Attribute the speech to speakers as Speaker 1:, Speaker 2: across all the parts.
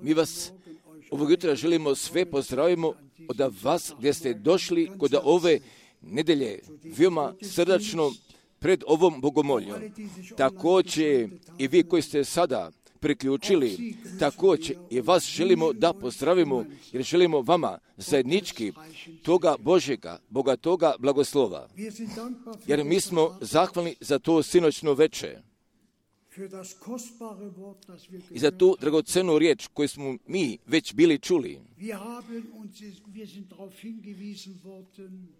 Speaker 1: Mi vas ovog jutra želimo sve pozdravimo od vas gdje ste došli kod ove nedelje veoma srdačno pred ovom bogomoljom. Također i vi koji ste sada priključili, također i vas želimo da pozdravimo jer želimo vama zajednički toga Božjega, bogatoga blagoslova. Jer mi smo zahvalni za to sinoćno veče i za tu dragocenu riječ koju smo mi već bili čuli.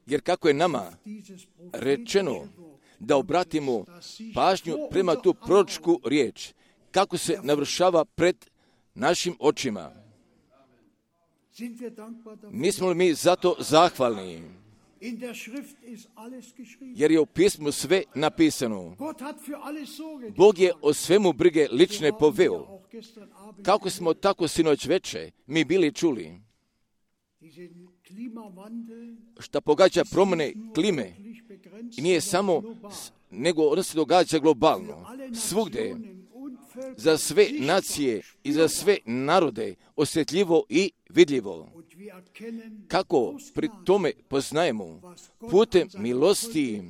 Speaker 1: Jer kako je nama rečeno da obratimo pažnju prema tu proročku riječ, kako se navršava pred našim očima. Nismo li mi zato zahvalni? Jer je u pismu sve napisano. Bog je o svemu brige lične poveo. Kako smo tako sinoć veče mi bili čuli. Šta pogađa promjene klime i nije samo, nego ono se događa globalno. Svugdje, za sve nacije i za sve narode osjetljivo i vidljivo. Kako pri tome poznajemo putem milosti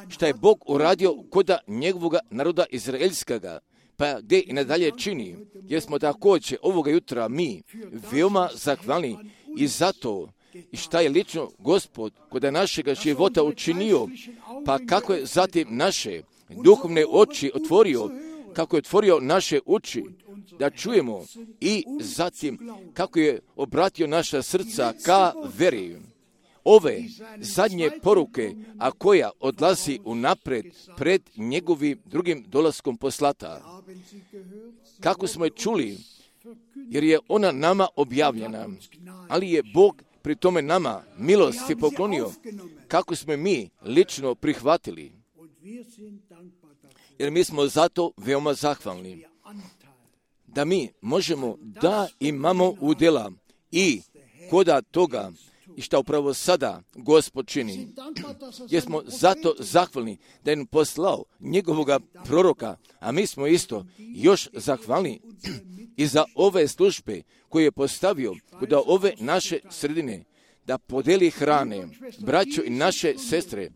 Speaker 1: šta je Bog uradio kod njegovoga naroda izraelskoga, pa gdje i nadalje čini, jer smo također ovoga jutra mi veoma zahvalni i zato i šta je lično Gospod kod našega života učinio, pa kako je zatim naše duhovne oči otvorio, kako je otvorio naše uši da čujemo i zatim kako je obratio naša srca ka veri. Ove zadnje poruke, a koja odlazi unapred pred njegovim drugim dolaskom poslata. Kako smo je čuli, jer je ona nama objavljena, ali je Bog pri tome nama milosti poklonio, kako smo mi lično prihvatili. Jer mi smo zato veoma zahvalni da mi možemo da imamo udjela i koda toga i šta upravo sada Gospod čini. Jer smo zato zahvalni da je poslao njegovoga proroka, a mi smo isto još zahvalni i za ove službe koje je postavio kod ove naše sredine, da podeli hrane, braćo i naše sestre,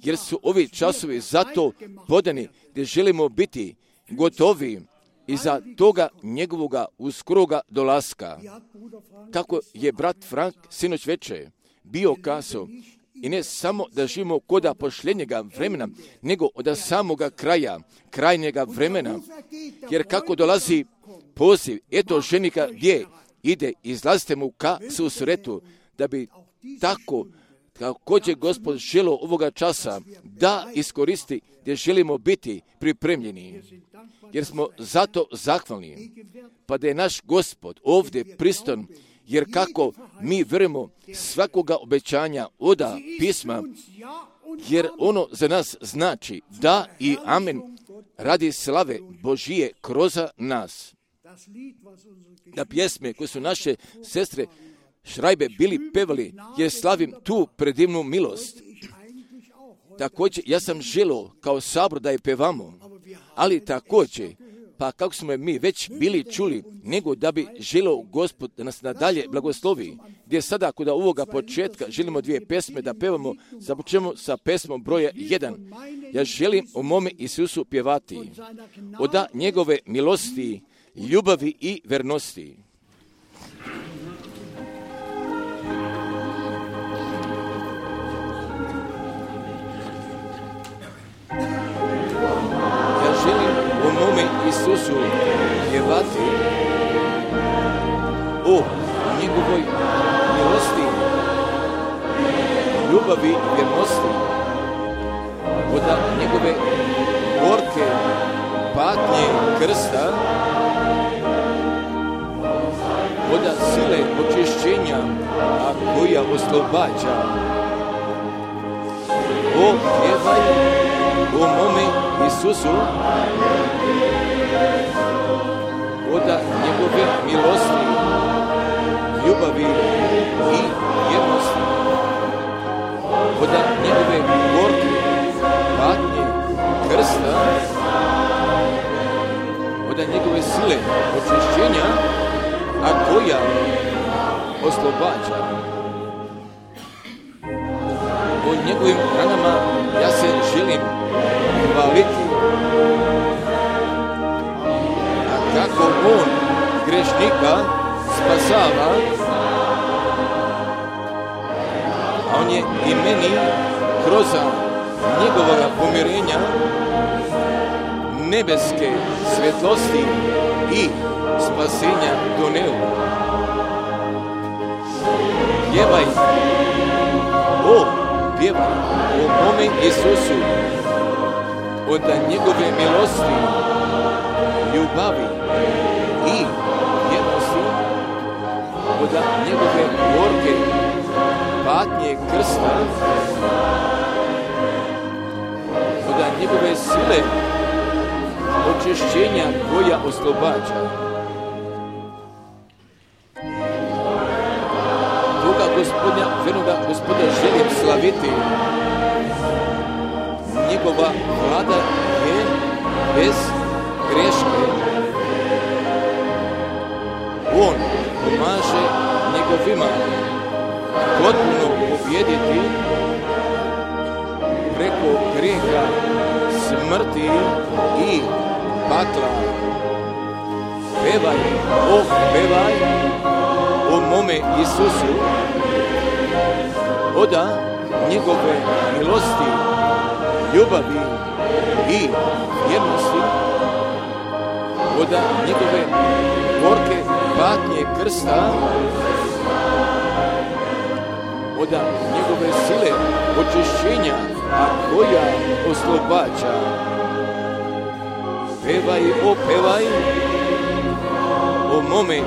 Speaker 1: jer su ovi časovi zato podani gdje želimo biti gotovi iza toga njegovoga uskoroga dolaska. Kako je brat Frank sinoć veče bio kazao, i ne samo da živimo koda pošljenjega vremena, nego od samoga kraja, krajnjega vremena, jer kako dolazi poziv, eto ženika gdje ide, izlazite mu ka susretu, da bi tako kako će Gospod želo ovoga časa da iskoristi gdje želimo biti pripremljeni. Jer smo zato zahvalni, pa da je naš Gospod ovdje pristan, jer kako mi vjerujemo svakoga obećanja oda pisma, jer ono za nas znači da i amen radi slave Božije kroz nas. Da pjesme koje su naše sestre Šrajbe bili pevali, jer slavim tu predivnu milost. Također, ja sam želio kao sabor da je pevamo, ali također, pa kako smo mi već bili čuli, nego da bi želio Gospod da nas nadalje blagoslovi, gdje sada kod ovoga početka želimo dvije pesme da pevamo, započnemo sa pesmom broja 1. Ja želim o mome Isusu pjevati, od njegove milosti, ljubavi i vernosti. O mome Isusu pjevati, o njegovoj milosti, ljubavi i vjernosti, od njegove gorke patnje krsta, od sile očišćenja, a koja oslobađa. O pjevaj o mome Isusu, od njegove milosti, ljubavi i vjernosti, od njegove gorke patnje krsta, sile očišćenja, a koja oslobađa. O njegovim ranama ja se želim hvaliti, a kako on grešnika spasava, a on je i meni kroz njegovoga pomirenja nebeske svjetlosti i spasenja doneo. Pjevaj, pjevaj o mome Isusu, od njegove milosti, ljubavi i vjernosti, od njegove gorke patnje krsta, od njegove sile očišćenja koja oslobađa. Toga Gospodnja, vernoga Gospoda želim slaviti. Njegova vlada je bez greške. On pomaže njegovima potpuno pobjediti preko grijeha, smrti i pakla. Pevaj, pevaj o mome Isusu, oda njegove milosti, ljubavi i vjernosti, oda njegove gorke patnje krsta, oda njegove sile očišćenja, a koja oslobađa. Pevaj, pevaj o mome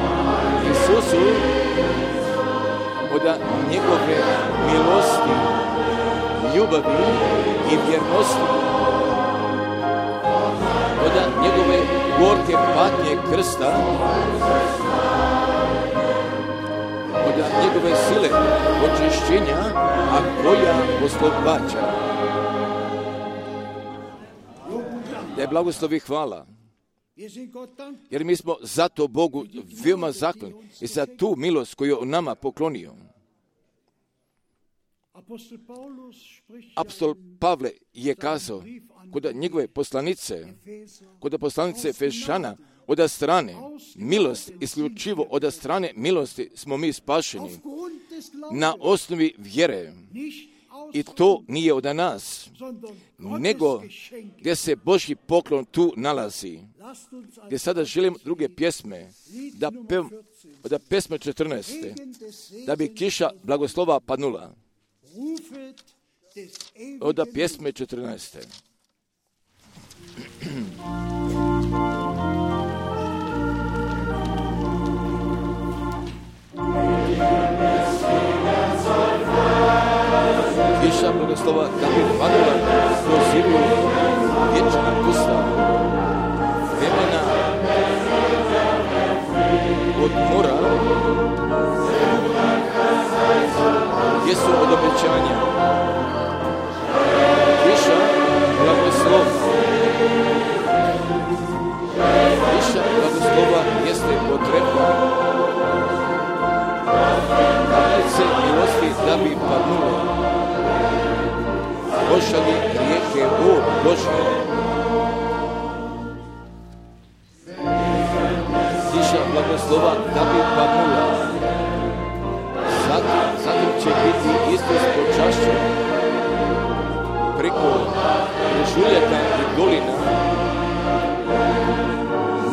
Speaker 1: Isusu, oda njegove milosti, ljubavi i vjernosti, oda njegove gorke patnje krsta, oda njegove sile očišćenja, a koja oslobađa. Da je blagoslovi hvala. Jer mi smo zato Bogu veoma zahvalni i za tu milost koju je nama poklonio. Apostol Pavle je kazao kod njegove poslanice, kod poslanice Efešana, od strane milosti, isključivo od strane milosti smo mi spašeni na osnovi vjere. I to nije od nas, nego gdje se Božji poklon tu nalazi. Gdje sada želim druge pjesme, da pjesme 14. da bi kiša blagoslova padnula. Od pjesme 14. Kiša blagoslova da bi padnula kroz zivu vječna pusta, vremena od mora, gdje su od obećanja. Kiša blagoslova. Kiša blagoslova jeste potrebna. Kaplice milosti da bi padnule. Pošalji rijeke vod Božje. Kiša blagoslova da bi padnula. Zatim će biti Isus počašćen preko žuljaka i dolina.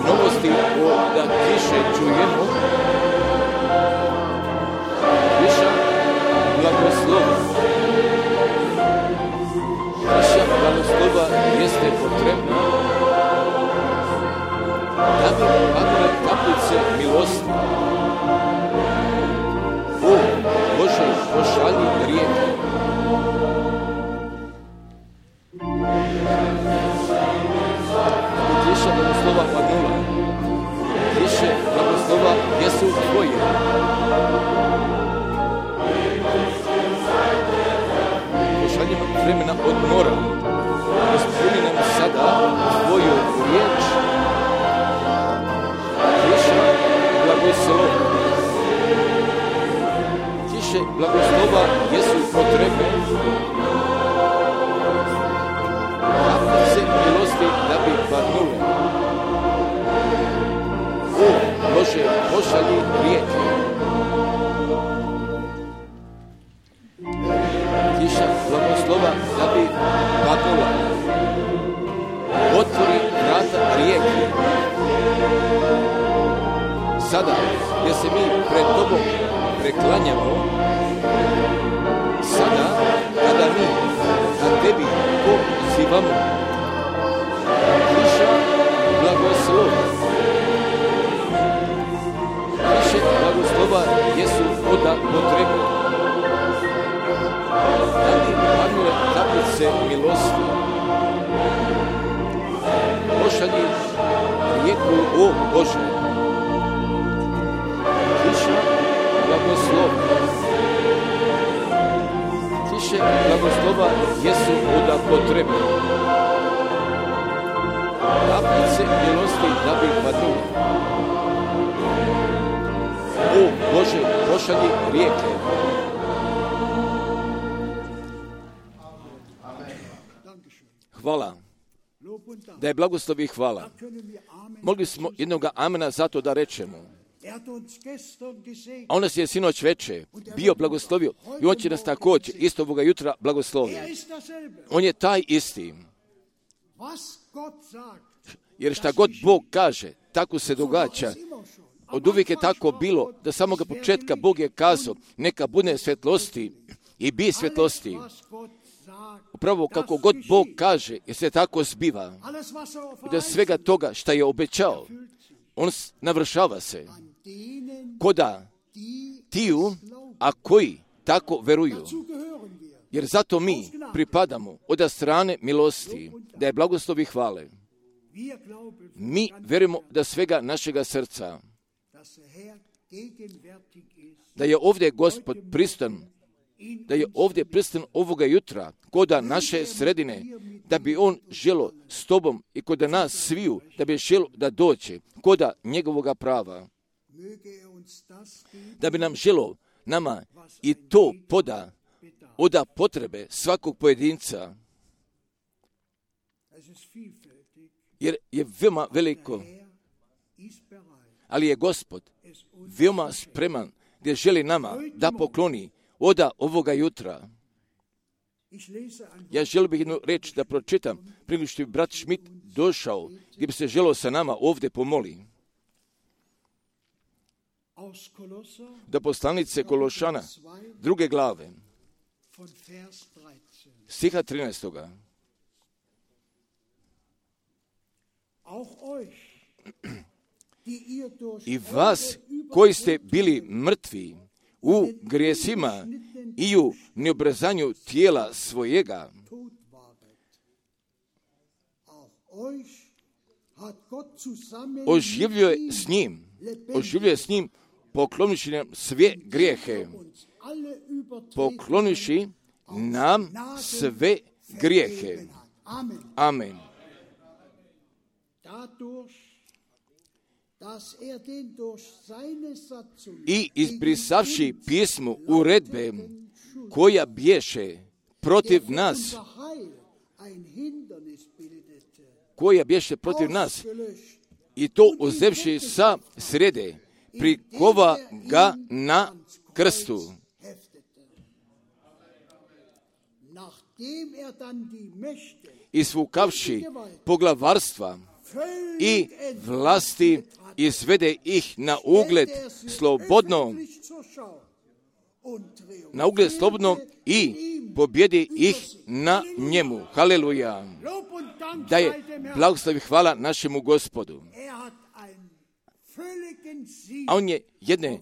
Speaker 1: Novosti od kiše čujemo. Kiša blagoslova. Kiša blagoslova jeste potrebna da bi padale kaplice milosti. O Bože, pošalji rijeke. Kiša blagoslova padnula. Kiše blagoslova jesu tvoje. Pošalji vremena odmora. Ispuni nam sada tvoju riječ. padnule. O Bože, pošalji rijeke. Kiša blagoslova da bi padnula. Otvori vrata rijeke. Sada, gdje se mi pred Tobom preklanjamo, sada, kada mi na Tebi pozivamo, kiša blagoslova. Kiše blagoslova jesu voda potrebna. Da li padnule kapljice milosti? Pošalji rijeku, o Bože. Kiša blagoslova. Kiše blagoslova jesu voda potrebna. Kapljice milosti da bi padnule. O Bože, pošalji rijeke. Hvala. Da je blagoslov i hvala. Mogli smo jednoga amena zato da rečemo. A on nas je sinoć veče bio blagoslovio i on će nas također isto ovoga jutra blagoslovio. On je taj isti. Jer šta god Bog kaže, tako se događa. Od uvijek je tako bilo da samoga početka Bog je kazao neka bude svjetlosti i bi svjetlosti. Upravo kako god Bog kaže, jer se tako zbiva. I da svega toga šta je obećao, on navršava se. Koda tiju, a koji tako veruju. Jer zato mi pripadamo od strane milosti, da je blagoslovi hvale. Mi verujemo da svega našega srca, da je ovdje Gospod pristan, da je ovdje pristan ovoga jutra, koda naše sredine, da bi on želo s tobom i koda nas sviju, da bi želo da dođe, koda njegovoga prava. Da bi nam želo nama i to poda, oda potrebe svakog pojedinca. Jer je veoma veliko, ali je Gospod veoma spreman gdje želi nama da pokloni oda ovoga jutra. Ja želim bih jednu reč da pročitam, prije što bi brat Schmidt došao, gdje bi se želio sa nama ovdje pomoli. Da poslanice Kološana, 2. glave, stiha 13. I vas koji ste bili mrtvi u grijesima i u neobrazanju tijela svojega, oživljuje s njim, poklonivši nam sve grijehe. Poklonivši nam sve grijehe. Amen. I izbrisavši pismu uredbe koja bješe protiv nas, i to uzevši sa srede, prikova ga na krstu. Isvukavši poglavarstva i vlasti, izvede ih na ugled slobodno i pobjedi ih na njemu. Haleluja. Da je blagoslov i hvala našemu Gospodu. A on je jedne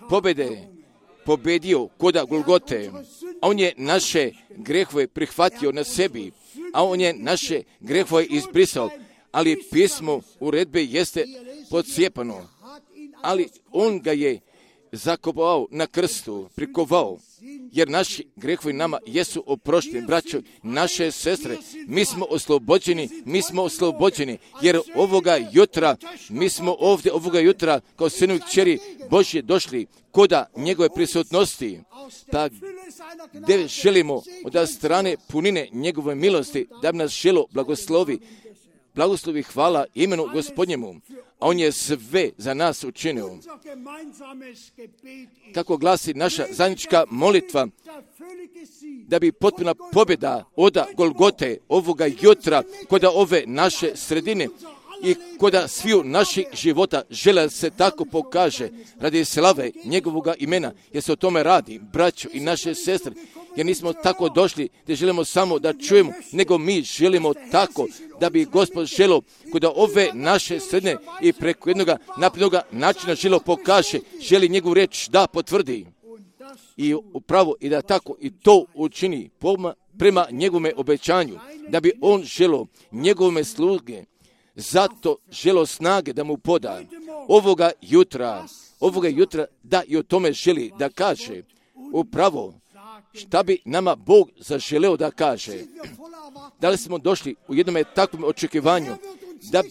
Speaker 1: pobjede pobjedio koda Golgote. A on je naše grehove prihvatio na sebi. A on je naše grehove izbrisao. Ali pismo uredbe jeste podcijepano. Ali on ga je zakopao na krstu, prikovao, jer naši grehovi nama jesu oprošteni. Braćo, naše sestre, mi smo oslobođeni, jer ovoga jutra, mi smo ovdje ovoga jutra kao sinovi kćeri Božje došli koda njegove prisutnosti, pa gdje želimo od strane punine njegove milosti, da bi nas želo blagoslovi, blagoslovi hvala imenu Gospodnjemu, a on je sve za nas učinio. Kako glasi naša zajednička molitva, da bi potpuna pobjeda od Golgote ovoga jutra kod ove naše sredine i kod sviju naših života žele se tako pokaže radi slave njegovoga imena, jer se o tome radi, braćo i naše sestre, jer nismo tako došli da želimo samo da čujemo, nego mi želimo tako da bi Gospod želio kod ove naše sredine i preko jednog naprednog načina želio pokaže, želi njegovu riječ da potvrdi. I upravo i da tako i to učini prema njegovome obećanju, da bi on želio njegovome sluge, zato želio snage da mu poda ovoga jutra da i o tome želi da kaže upravo šta bi nama Bog zaželeo da kaže. Da li smo došli u jednom takvom očekivanju da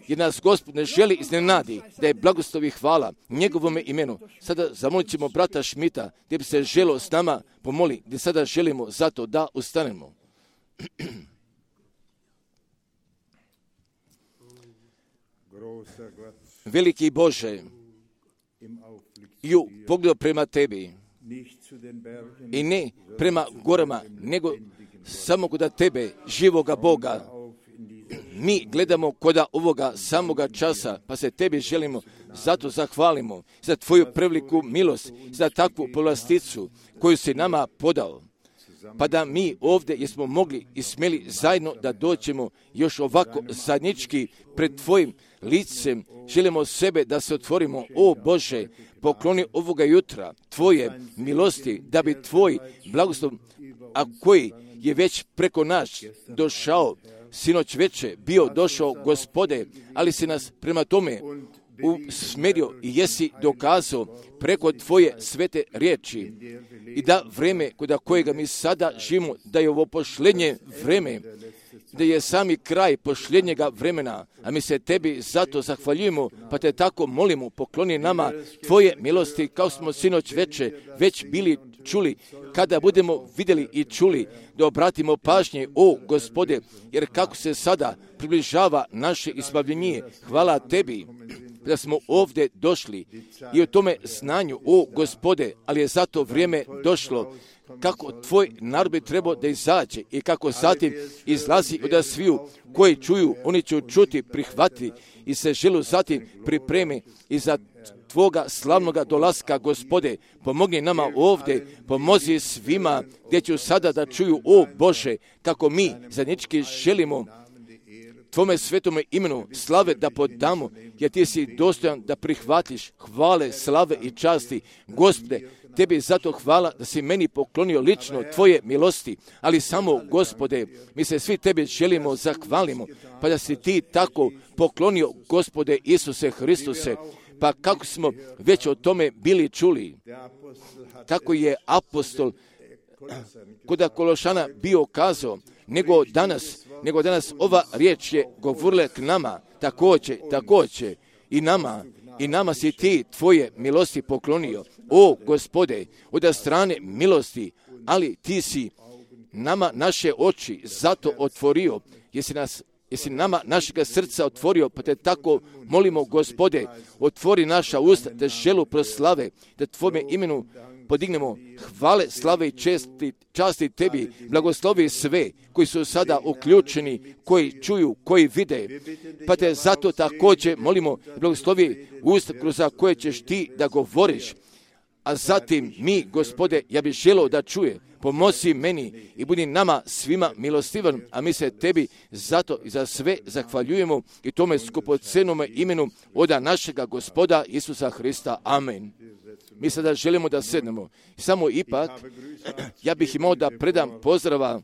Speaker 1: jer nas Gospod ne želi iznenadi, da je blagoslovi hvala njegovome imenu. Sada zamolit ćemo brata Šmita, gdje bi se želo s nama pomoli, gdje sada želimo zato da ustanemo. Veliki Bože, i u pogledu prema tebi, i ne prema gorama, nego samo kod tebe, živoga Boga, mi gledamo kod ovoga samoga časa, pa se tebi želimo, zato zahvalimo za tvoju preveliku milost, za takvu povlasticu koju si nama podao. Pa da mi ovdje jesmo mogli i smjeli zajedno da dođemo još ovako zajednički pred tvojim licem, želimo sebe da se otvorimo. O Bože, pokloni ovoga jutra tvoje milosti, da bi tvoj blagoslov, a koji je već preko nas došao, sinoć veče bio došao, Gospode, ali si nas prema tome usmjerio i jesi dokazao preko tvoje svete riječi i da vreme kod kojega mi sada živimo, da je ovo posljednje vreme, da je sami kraj posljednjega vremena, a mi se tebi zato zahvaljujemo, pa te tako molimo, pokloni nama tvoje milosti, kao smo sinoć veče već bili čuli, kada budemo vidjeli i čuli, da obratimo pažnje, o Gospode, jer kako se sada približava naše izbavljenje, hvala tebi da smo ovdje došli i o tome znanju, o Gospode, ali je zato vrijeme došlo kako tvoj narod bi trebao da izađe i kako zatim izlazi od sviju koji čuju, oni će čuti, prihvatiti i se želu zatim pripremi i za tvoga slavnoga dolaska, Gospode, pomogni nama ovdje, pomozi svima gdje ću sada da čuju, o Bože, kako mi zajednički želimo tvome svetome imenu slave da podamo, jer ti si dostojan da prihvatiš hvale, slave i časti. Gospode, tebi zato hvala da si meni poklonio lično tvoje milosti, ali samo, Gospode, mi se svi tebi želimo, zahvalimo, pa da si ti tako poklonio, Gospode Isuse Hristuse, pa kako smo već o tome bili čuli, tako je apostol kod Kološana bio kazao, nego danas ova riječ je govorila k nama, također i nama si ti tvoje milosti poklonio. O Gospode, od strane milosti, ali ti si nama naše oči zato otvorio, jesi nama našega srca otvorio, pa te tako molimo, Gospode, otvori naša usta da želu proslave, da tvome imenu podignemo hvale, slave i časti tebi, blagoslovi sve koji su sada uključeni, koji čuju, koji vide, pa te zato također molimo, blagoslovi usta kroz koje ćeš ti da govoriš, a zatim mi, Gospode, ja bih želio da čuje, pomozi meni i budi nama svima milostivan, a mi se tebi zato i za sve zahvaljujemo i tome skupocenome imenu oda našega Gospoda Isusa Hrista. Amen. Mi sada želimo da sednemo. Samo ipak, ja bih imao da predam pozdrava,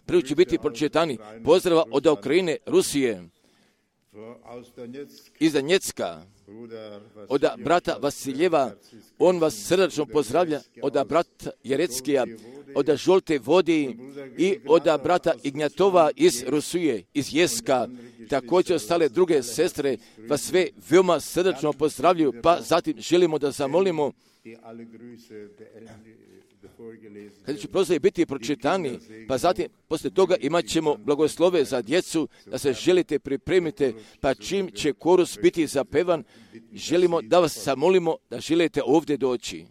Speaker 1: prvo će biti pročitani, pozdrava od Ukrajine, Rusije, iz Donjecka, od brata Vasiljeva, on vas srdačno pozdravlja, od brata Jereckija, od Žolte Vodi i od brata Ignjatova iz Rusije, iz Jeska, također ostale druge sestre vas sve veoma srdačno pozdravljaju, pa zatim želimo da zamolimo kada će pozdravi biti pročitani, pa zatim poslije toga imat ćemo blagoslove za djecu, da se želite pripremite, pa čim će korus biti zapevan, želimo da vas zamolimo da želite ovdje doći.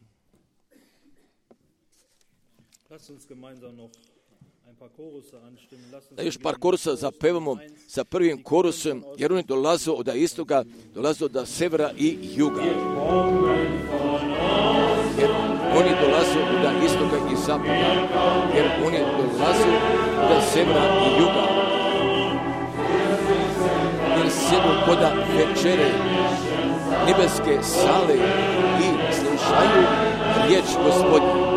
Speaker 1: Da još par korusa zapevamo sa prvim korusom, jer oni dolaze od istoga, dolaze od severa i juga. Jer oni dolaze od istoga i zapada, jer oni dolaze od severa i juga. Jer sjedu koda večere, nebeske sale i slušaju riječ Gospodnju.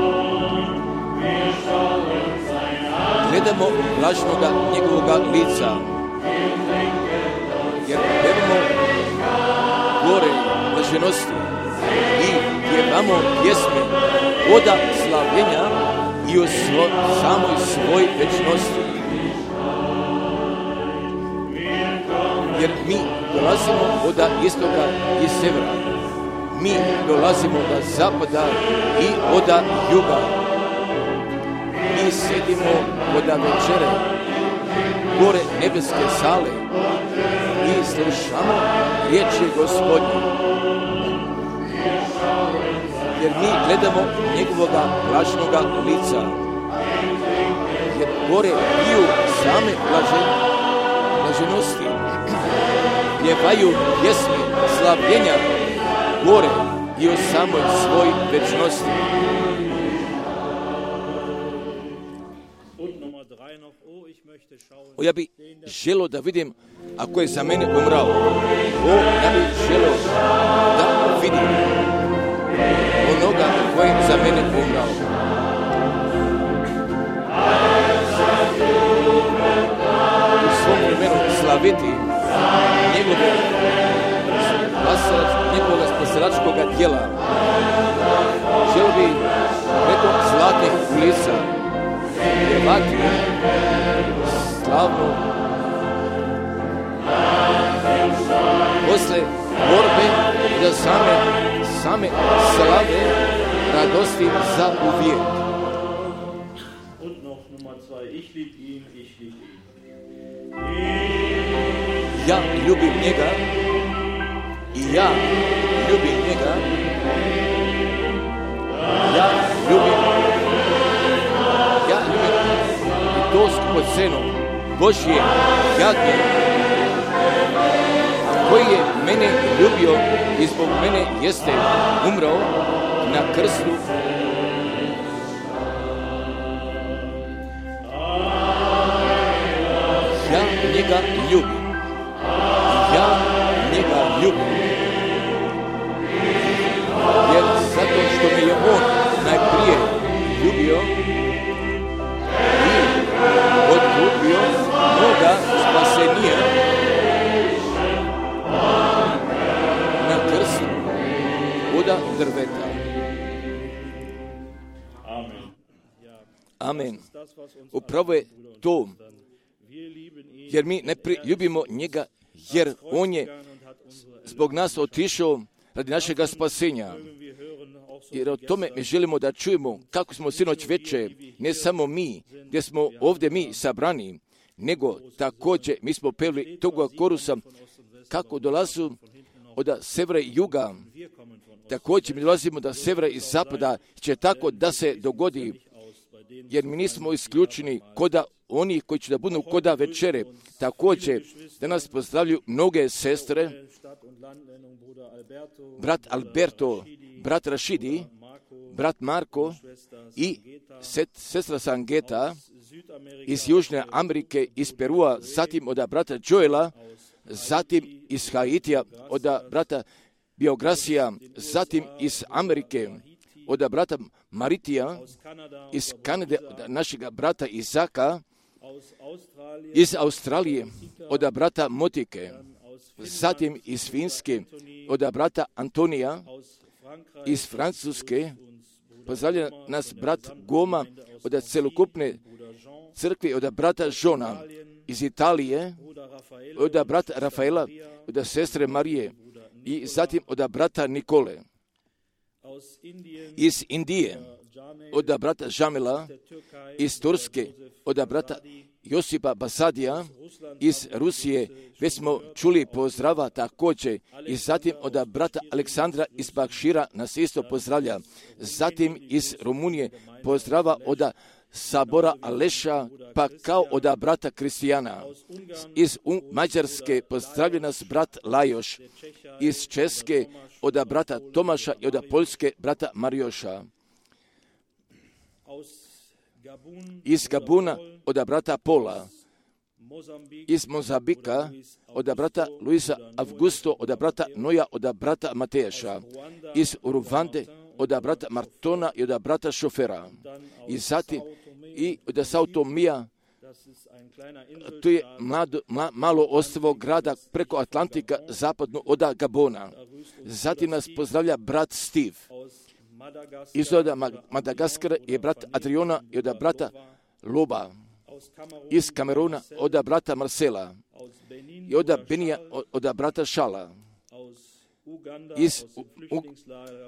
Speaker 1: Gledamo vlažnoga njegovoga lica, jer pevamo gore blaženosti i pjevamo pjesme oda slavljenja i o samoj svoj večnosti. Jer mi dolazimo od istoka i severa, mi dolazimo od zapada i od juga. Mi sedimo kod večere, gore nebeske sale i slušamo riječi Gospodnje. Jer mi gledamo njegovoga blažnoga lica. Jer gore piju same blaženosti, pjevaju pjesme slavljenja gore i o samoj svoj večnosti. Ja bi želio da vidim ako je za mene umrao. Ja bi želio da vidim onoga koji je za mene umrao. U svom vremenu slaviti njegovog spasilačkog djela. Želio bi preko zlatnih ulica pjevati slavno posle borbe da same slave radosti za uvijek. Ja ljubim njega i ja ljubim njega. Ja ljubim i to skupocenu Božje jagnje, koji je mene ljubio i zbog mene jeste umrao na krstu. Ja njega ljubim. Ja njega ljubim. Jer zato što me je on najprije ljubio i odkupio moga spasenija na krstu od drveta. Amen. Upravo je to, jer mi ne ljubimo njega, jer on je zbog nas otišao radi našega spasenja. Jer o tome mi želimo da čujemo kako smo sinoć veče, ne samo mi, gdje smo ovdje mi sabrani, nego također mi smo pevali toga korusa kako dolazu od severa i juga. Također mi dolazimo od severa i zapada, će tako da se dogodi, jer mi nismo isključeni koda oni koji će da budu koda večere. Također da nas pozdravljaju mnoge sestre, brat Alberto, brat Rašidi, brat Marko i sestra Sangeta iz Južne Amerike, iz Perua, zatim od brata Joela, zatim iz Haitija, od brata Biograsija, zatim iz Amerike, od brata Maritija, iz Kanade, od našega brata Izaka, iz Australije, od brata Motike, zatim iz Finske, od brata Antonija, iz Francuske, pozdravlja nas brat Goma, od celokupne crkve, od brata Žona, iz Italije, od brata Rafaela, od sestre Marije i zatim od brata Nikole. Iz Indije, od brata Jamila, iz Turske, od brata Josipa Basadija, iz Rusije, već smo čuli pozdrava također, i zatim od brata Aleksandra iz Bakšira nas isto pozdravlja. Zatim iz Rumunije pozdrava od Sabora Aleša, pa kao od brata Kristijana. Iz Mađarske pozdravlja nas brat Lajoš, iz Česke od brata Tomaša i od Poljske brata Marioša. Iz Gabuna od brata Pola, iz Mozambika od brata Luisa Augusto, od brata Noja, od brata Mateša, iz Uruvande od brata Martona i od brata Šofera, i zatim i od Sao Tomija, to je malo ostrvo grada preko Atlantika zapadno od Gabona. Zatim nas pozdravlja brat Steve. Iz Madagaskara je brat Adriona i od brata Loba. Iz Kameruna od brata Marcela i od Benija od brata Šala. Iz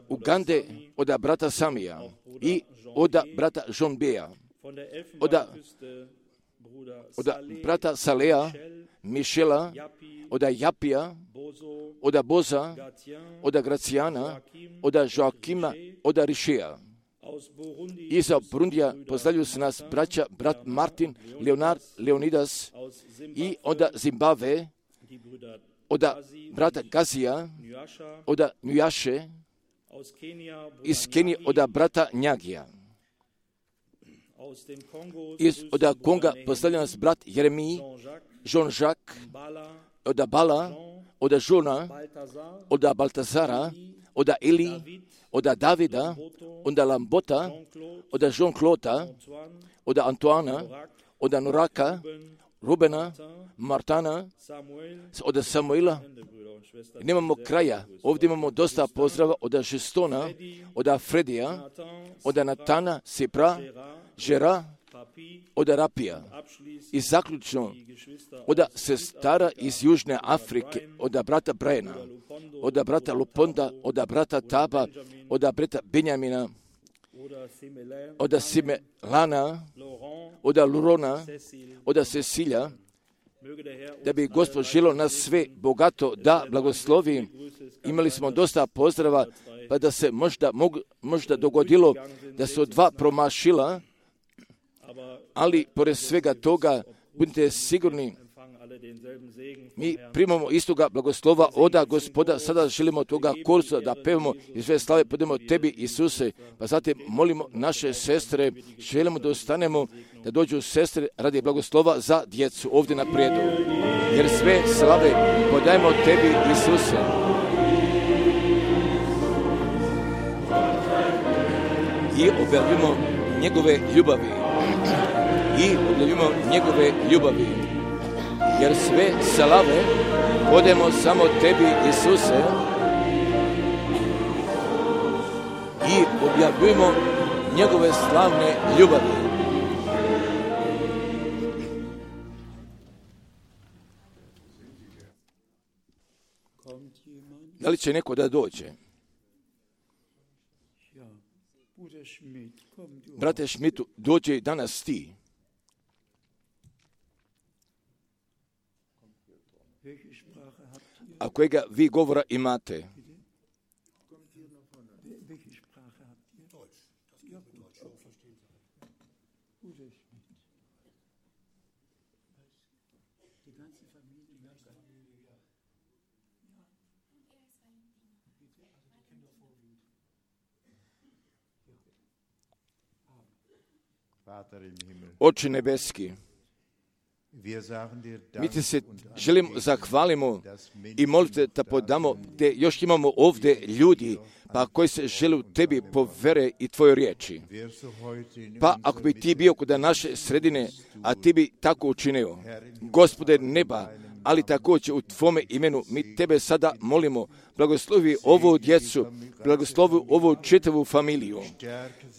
Speaker 1: Ugande od brata Samija i od brata Žonbeja. Od brata Salea, Mišela, od Japija, od Boza, od Gracijana, od Joakima, od Rišeja. Iz Burundija pozdravljuju se nas braća, brat Martin, Leonard, Leonidas, i od Zimbabve, od brata Gazija, od Njujaše, iz Kenije od brata Njagija. Od Konga pozdravlja nas brat Jeremij, Jean-Jacques, od Bala, od Žona, od Baltazara, od Eli, od Davida, od Lambota, od Jean-Claude, od Antoana, od Noraka, Rubena, Martana, od Samuela. Nemamo kraja. Ovdje imamo dosta pozdrava od Žestona, od Fredija, od Natana, Sipra, Žera, od Rapija. I zaključno od sestara iz Južne Afrike, od brata Brajana, od brata Luponda, od brata Taba, od brata Benjamina, od Simelana, od Lurona, od Cecilija, da bi Gospod želio nas sve bogato da blagoslovi. Imali smo dosta pozdrava, pa da se možda dogodilo da su dva promašila, ali pored svega toga budite sigurni, mi primamo istoga blagoslova od Gospoda. Sada želimo toga kursa da pevamo i sve slave podemo tebi, Isuse, pa zatim molimo naše sestre, želimo da ostanemo, da dođu sestre radi blagoslova za djecu ovdje na prijedu, jer sve slave podajemo tebi, Isuse. I objavimo njegove ljubavi. Jer sve slave podajemo samo tebi, Isuse, i objavljujemo njegove slavne ljubavi. Da li će neko da dođe? Brate Šmitu, dođe danas ti. A kojega vi govora imate? Oče nebeski, mi ti se želimo zahvalimo i molite da podamo gdje još imamo ovdje ljudi pa koji se žele tebi po vere i tvojoj riječi. Pa ako bi ti bio kod naše sredine, a ti bi tako učinio, Gospode neba, ali također u tvome imenu mi tebe sada molimo, blagoslovi ovu djecu, blagoslovi ovu čitavu familiju,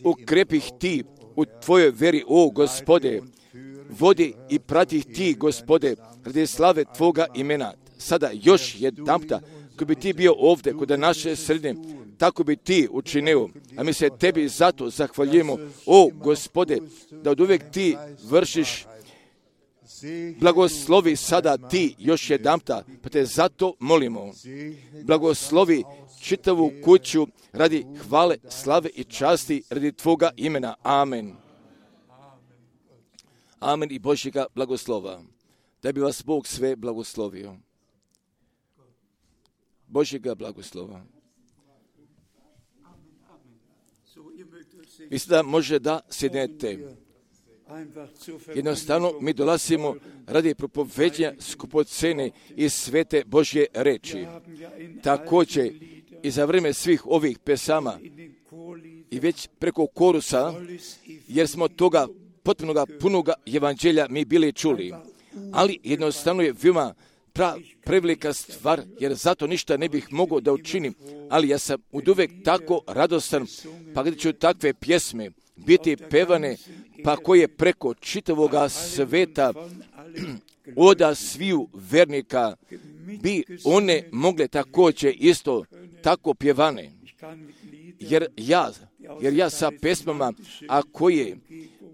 Speaker 1: ukrepi ih ti u tvojoj veri, o Gospode, vodi i prati ih ti, Gospode, radi slave Tvoga imena. Sada još jedanputa, ko bi Ti bio ovdje kod naše sredine, tako bi Ti učinio. A mi se Tebi zato zahvaljujemo, o Gospode, da od uvijek Ti vršiš. Blagoslovi sada Ti još jedanputa, pa Te zato molimo. Blagoslovi čitavu kuću radi hvale, slave i časti radi Tvoga imena. Amen. Amen i Božjega blagoslova. Da bi vas Bog sve blagoslovio. Božjega blagoslova. Mislim da može da sjednete. Jednostavno mi dolazimo radi propoveđenja skupocene i svete Božje reči. Također i za vrijeme svih ovih pesama i već preko korusa, jer smo toga potpunoga punoga evanđelja mi bili čuli. Ali jednostavno je veoma prevelika stvar, jer zato ništa ne bih mogao da učinim. Ali ja sam uvijek tako radostan, pa gdje ću takve pjesme biti pevane, pa koje preko čitavoga sveta oda sviju vernika bi one mogle također isto tako pjevane. Jer ja sa pesmama, a koje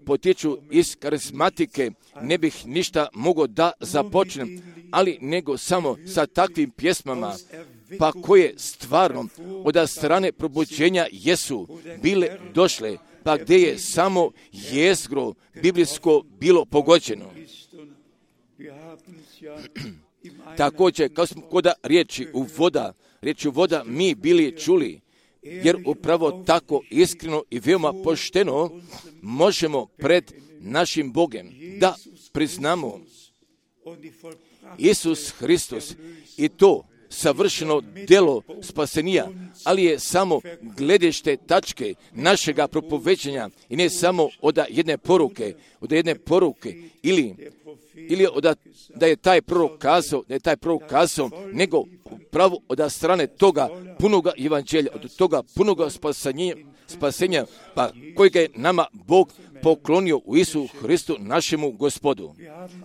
Speaker 1: potječu iz karizmatike, ne bih ništa mogao da započnem, ali nego samo sa takvim pjesmama, pa koje stvarno od strane probuđenja jesu bile došle, pa gdje je samo jezgro biblijsko bilo pogođeno. Također, kao smo kod riječi voda mi bili čuli, jer upravo tako iskreno i veoma pošteno možemo pred našim Bogom da priznamo Isus Hristos i to savršeno djelo spasenija, ali je samo gledište tačke našega propoveđenja i ne samo od jedne poruke ili da je taj prorok kazao, nego pravo od strane toga punoga evanđelja, od toga punoga spasenja, pa kojega je nama Bog poklonio u Isu Hristu našemu Gospodu.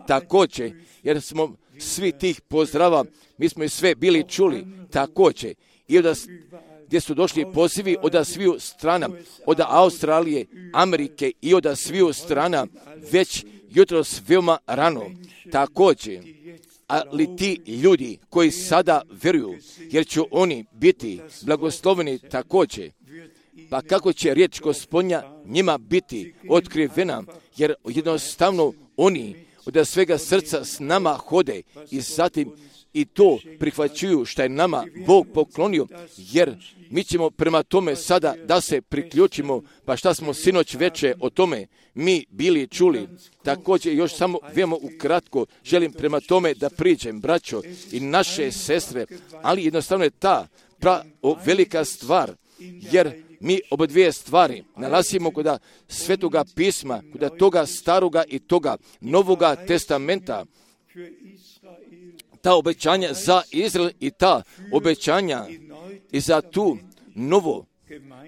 Speaker 1: Također, jer smo svi tih pozdrava, mi smo i sve bili čuli, također, i gdje su došli pozivi od sviju strana, od Australije, Amerike i od sviju strana, već jutros veoma rano. Također, ali ti ljudi koji sada vjeruju, jer će oni biti blagosloveni također, pa kako će riječ Gospodnja njima biti otkrivena, jer jednostavno oni od svega srca s nama hode i zatim i to prihvaćuju što je nama Bog poklonio, jer mi ćemo prema tome sada da se priključimo, pa šta smo sinoć veče o tome mi bili čuli. Također još samo veoma ukratko želim prema tome da priđem, braćo i naše sestre, ali jednostavno je ta velika stvar, jer mi oba dvije stvari nalazimo kod Svetoga pisma, kod toga staroga i toga novoga testamenta, ta obećanja za Izrael i ta obećanja i za tu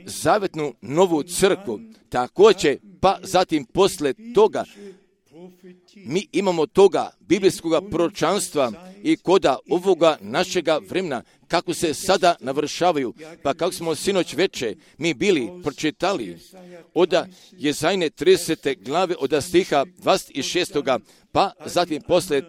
Speaker 1: zavetnu novu crkvu. Također, pa zatim posle toga mi imamo toga biblijskog proročanstva i koda ovoga našega vremena, kako se sada navršavaju, pa kako smo sinoć veče mi bili pročitali od Jezajne 30. glave od stiha 26. pa zatim posle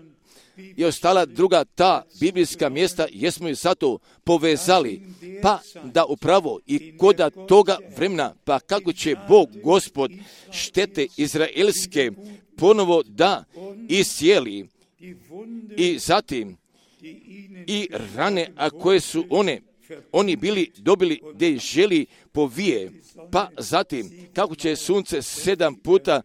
Speaker 1: i ostala druga ta biblijska mjesta, jesmo i zato povezali, pa da upravo i koda toga vremena, pa kako će Bog Gospod štete izraelske ponovo da iscijeli i zatim i rane, a koje su oni bili dobili gdje želi povije, pa zatim kako će sunce 7 puta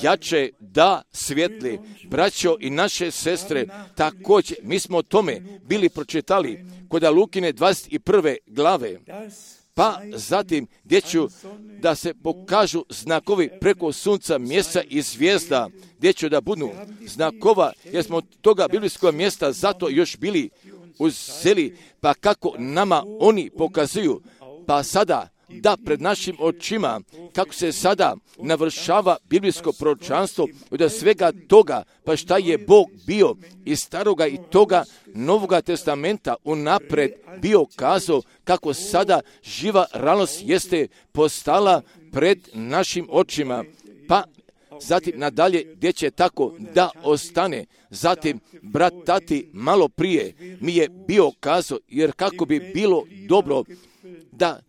Speaker 1: jače da svijetli. Braćo i naše sestre, također mi smo o tome bili pročitali kod Lukine 21. glave, pa zatim gdje ću da se pokažu znakovi preko sunca, mjeseca i zvijezda, gdje će da budu znakova, jer smo toga biblijskog mjesta zato još bili uzeli, pa kako nama oni pokazuju, pa sada da pred našim očima, kako se sada navršava biblijsko proročanstvo, od svega toga, pa šta je Bog bio iz staroga i toga Novoga testamenta unapred bio kazao, kako sada živa realnost jeste postala pred našim očima, pa zatim nadalje gdje će tako da ostane. Zatim brat Tati malo prije mi je bio kazao, jer kako bi bilo dobro da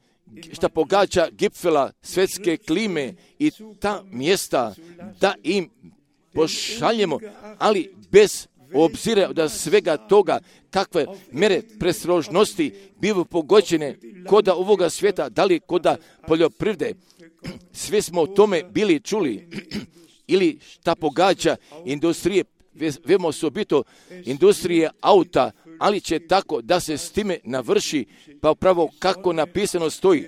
Speaker 1: šta pogađa Gipfela, svjetske klime i ta mjesta, da im pošaljemo, ali bez obzira od svega toga kakve mere prestrožnosti bivaju pogođene koda ovoga svijeta, da li koda poljoprivrede. Sve smo o tome bili čuli. Ili šta pogađa industrije, vemo osobito industrije auta, ali će tako da se s time navrši, pa upravo kako napisano stoji,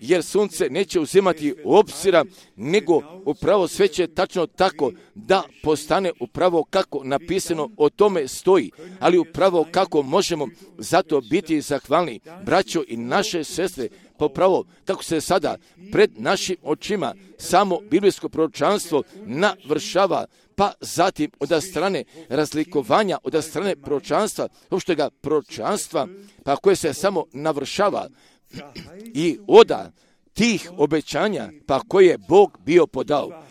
Speaker 1: jer sunce neće uzimati obzira, nego upravo sve će tačno tako da postane upravo kako napisano o tome stoji, ali upravo kako možemo zato biti zahvalni, braćo i naše sestre, pa upravo kako se sada pred našim očima samo biblijsko proročanstvo navršava, pa zatim od strane razlikovanja, od strane proročanstva, opštega proročanstva, pa koje se samo navršava i oda tih obećanja, pa koje je Bog bio podao.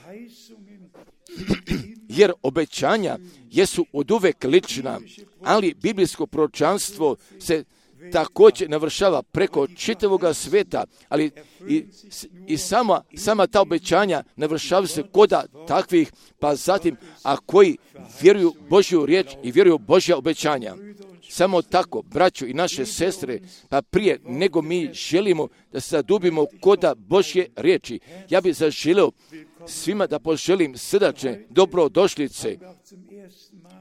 Speaker 1: Jer obećanja jesu oduvek lična, ali biblijsko proročanstvo se također navršava preko čitavoga sveta, ali i sama ta obećanja navršavaju se koda takvih, pa zatim, a koji vjeruju Božju riječ i vjeruju Božja obećanja. Samo tako, braćo i naše sestre, pa prije nego mi želimo da se zadubimo koda Božje riječi, ja bih zaželio svima da poželim srdačne dobrodošlice.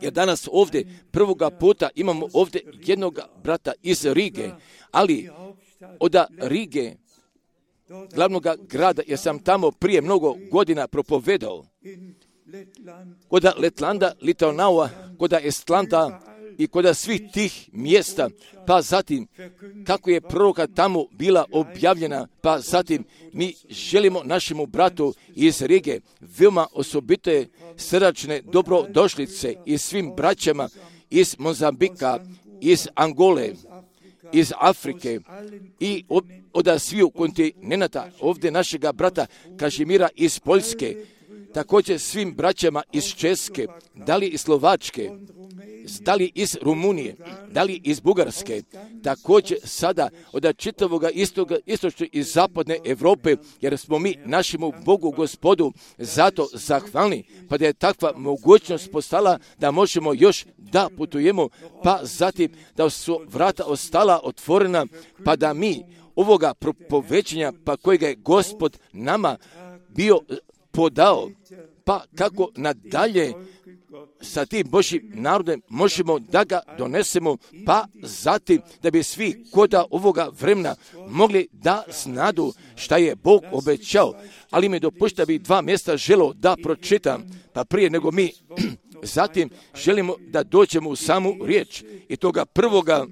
Speaker 1: Jer danas ovdje prvoga puta imamo ovdje jednog brata iz Rige, ali od Rige, glavnog grada, jer sam tamo prije mnogo godina propovedao, kod Letlanda, Litonaua, kod Estlanda i kod svih tih mjesta, pa zatim kako je proroka tamo bila objavljena, pa zatim mi želimo našemu bratu iz Rige veoma osobite srdačne dobrodošlice i svim braćama iz Mozambika, iz Angole, iz Afrike i od sviju kontinenta, ovdje našega brata Kažimira iz Poljske, također svim braćama iz Česke, da li iz Slovačke, da li iz Rumunije, da li iz Bugarske, također sada od čitavoga istočne i zapadne Europe, jer smo mi našemu Bogu Gospodu zato zahvalni, pa da je takva mogućnost postala da možemo još da putujemo, pa zatim da su vrata ostala otvorena, pa da mi ovoga propovećenja, pa kojega je Gospod nama bio podao, pa kako nadalje sa tim Božjim narodom možemo da ga donesemo, pa zatim da bi svi koda ovoga vremena mogli da znadu šta je Bog obećao. Ali mi dopušta bi dva mjesta želio da pročitam, pa prije nego mi zatim želimo da dođemo u samu riječ i toga prvoga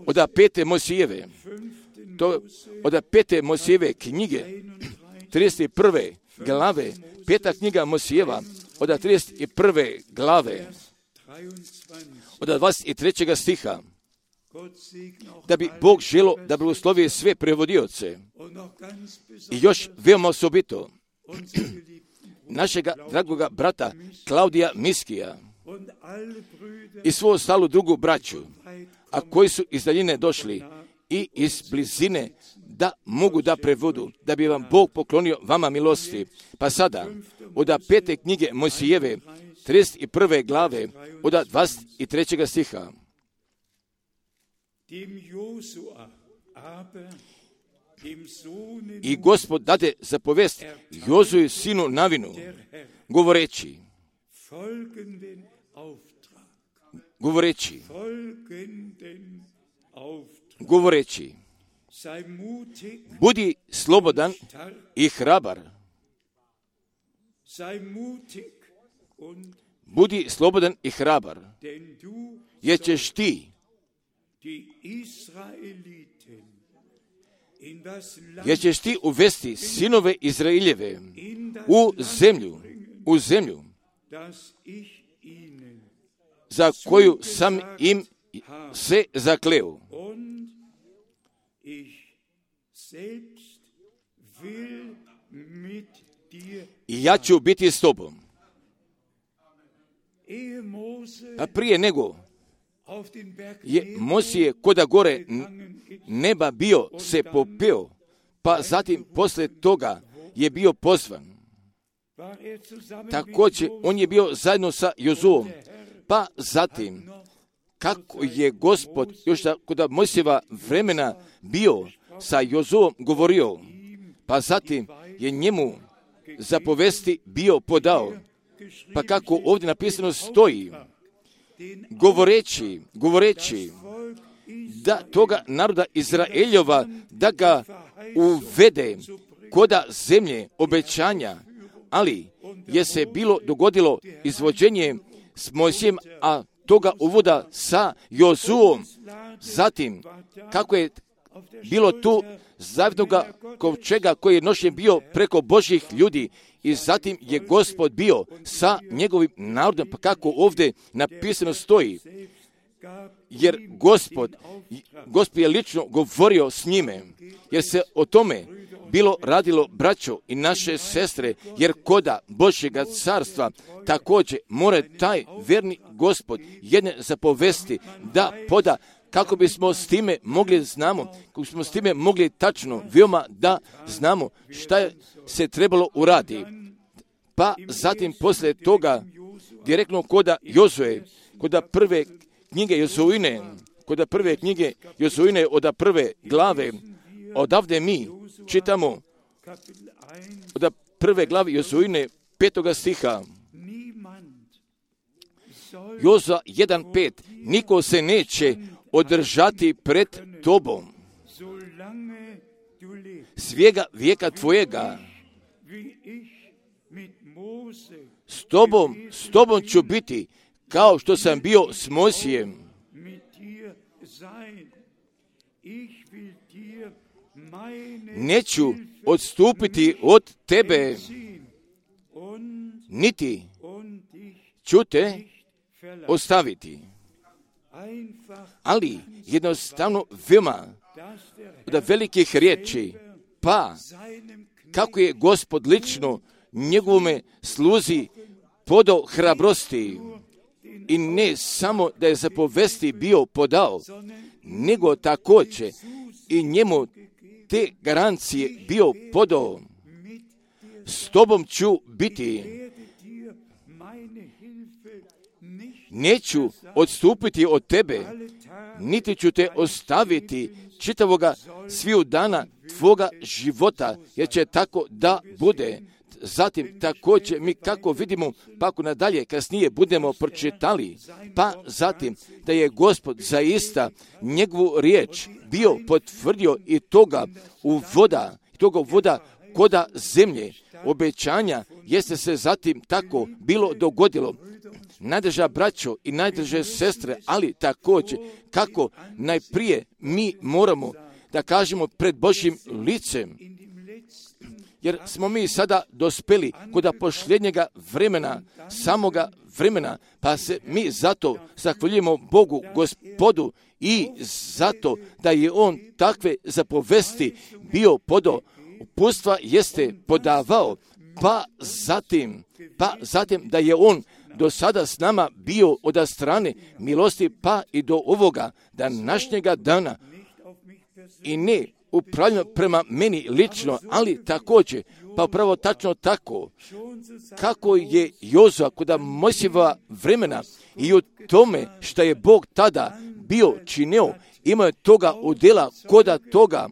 Speaker 1: od 5. Mojsijeve, od 5. Mojsijeve knjige 31. glave, 5. knjiga Mojsijeva, od 31. glave, od 23. stiha, da bi Bog želo da blagoslovi sve prevodioce i još veoma osobito našega dragoga brata Klaudija Miskija i svu ostalu drugu braću, a koji su iz daljine došli i iz blizine da mogu da prevodu, da bi vam Bog poklonio vama milosti. Pa sada, od 5. knjige Mojsijeve, 31. glave, od 23. stiha. I Gospod dade zapovest Jozuju sinu Navinu, govoreći, budi slobodan i hrabar. Budi slobodan i hrabar, jer ćeš ti jer ćeš ti uvesti sinove Izraeljeve u zemlju za koju sam im se zakleo. I ja ću biti s tobom. A prije nego je Mojsije koda gore neba bio se popeo, pa zatim posle toga je bio pozvan. Također on je bio zajedno sa Jozuom, pa zatim kako je Gospod još kod Mojsijeva vremena bio sa Jozuom govorio, pa zatim je njemu zapovesti bio podao, pa kako ovdje napisano stoji, govoreći da toga naroda Izraeljova da ga uvede koda zemlje obećanja, ali je se dogodilo izvođenje s Mojsijem, a toga uvoda sa Jozuom. Zatim, kako je bilo tu zavidnoga kovčega koji je nošen bio preko Božjih ljudi, i zatim je Gospod bio sa njegovim narodom, pa kako ovdje napisano stoji, jer Gospod je lično govorio s njime, jer se o tome bilo radilo, braćo i naše sestre, jer koda Božjega carstva također mora taj verni Gospod jedne zapovesti da poda, kako bismo s time mogli kako bismo s time mogli tačno, veoma da znamo šta se trebalo uraditi. Pa zatim poslije toga direktno koda Jozue, koda prve knjige Jozuine, od prve glave, odavde mi čitamo od prve glave Jozuine 5. stiha. Jozua 1.5. Niko se neće održati pred tobom svijega vijeka tvojega. S tobom ću biti kao što sam bio s Mojsijem. Neću odstupiti od tebe, niti ću te ostaviti. Ali jednostavno veoma od velikih riječi, pa kako je Gospod lično njegovome sluzi podao hrabrosti, i ne samo da je zapovesti bio podao, nego također i njemu te garancije bio podao. S tobom ću biti, neću odstupiti od tebe, niti ću te ostaviti čitavoga sviju dana tvoga života, jer će tako da bude. Zatim također mi kako vidimo, pa ako nadalje kasnije budemo pročitali, pa zatim da je Gospod zaista njegovu riječ bio potvrdio i toga uvoda koda zemlje obećanja, jeste se zatim tako bilo dogodilo. Najdraža braćo i najdraže sestre, ali također kako najprije mi moramo da kažemo pred Božjim licem, jer smo mi sada dospeli kod posljednjega vremena, samoga vremena, pa se mi zato zahvaljujemo Bogu, Gospodu, i zato da je On takve zapovesti bio podao, uputstva jeste podavao, pa zatim da je On do sada s nama bio od strane milosti, pa i do ovoga današnjega dana, i ne upravljeno prema meni lično, ali također, pa upravo tačno tako, kako je Jozua kod Mojsijeva vremena i u tome što je Bog tada bio činio, imao je toga udjela koda toga,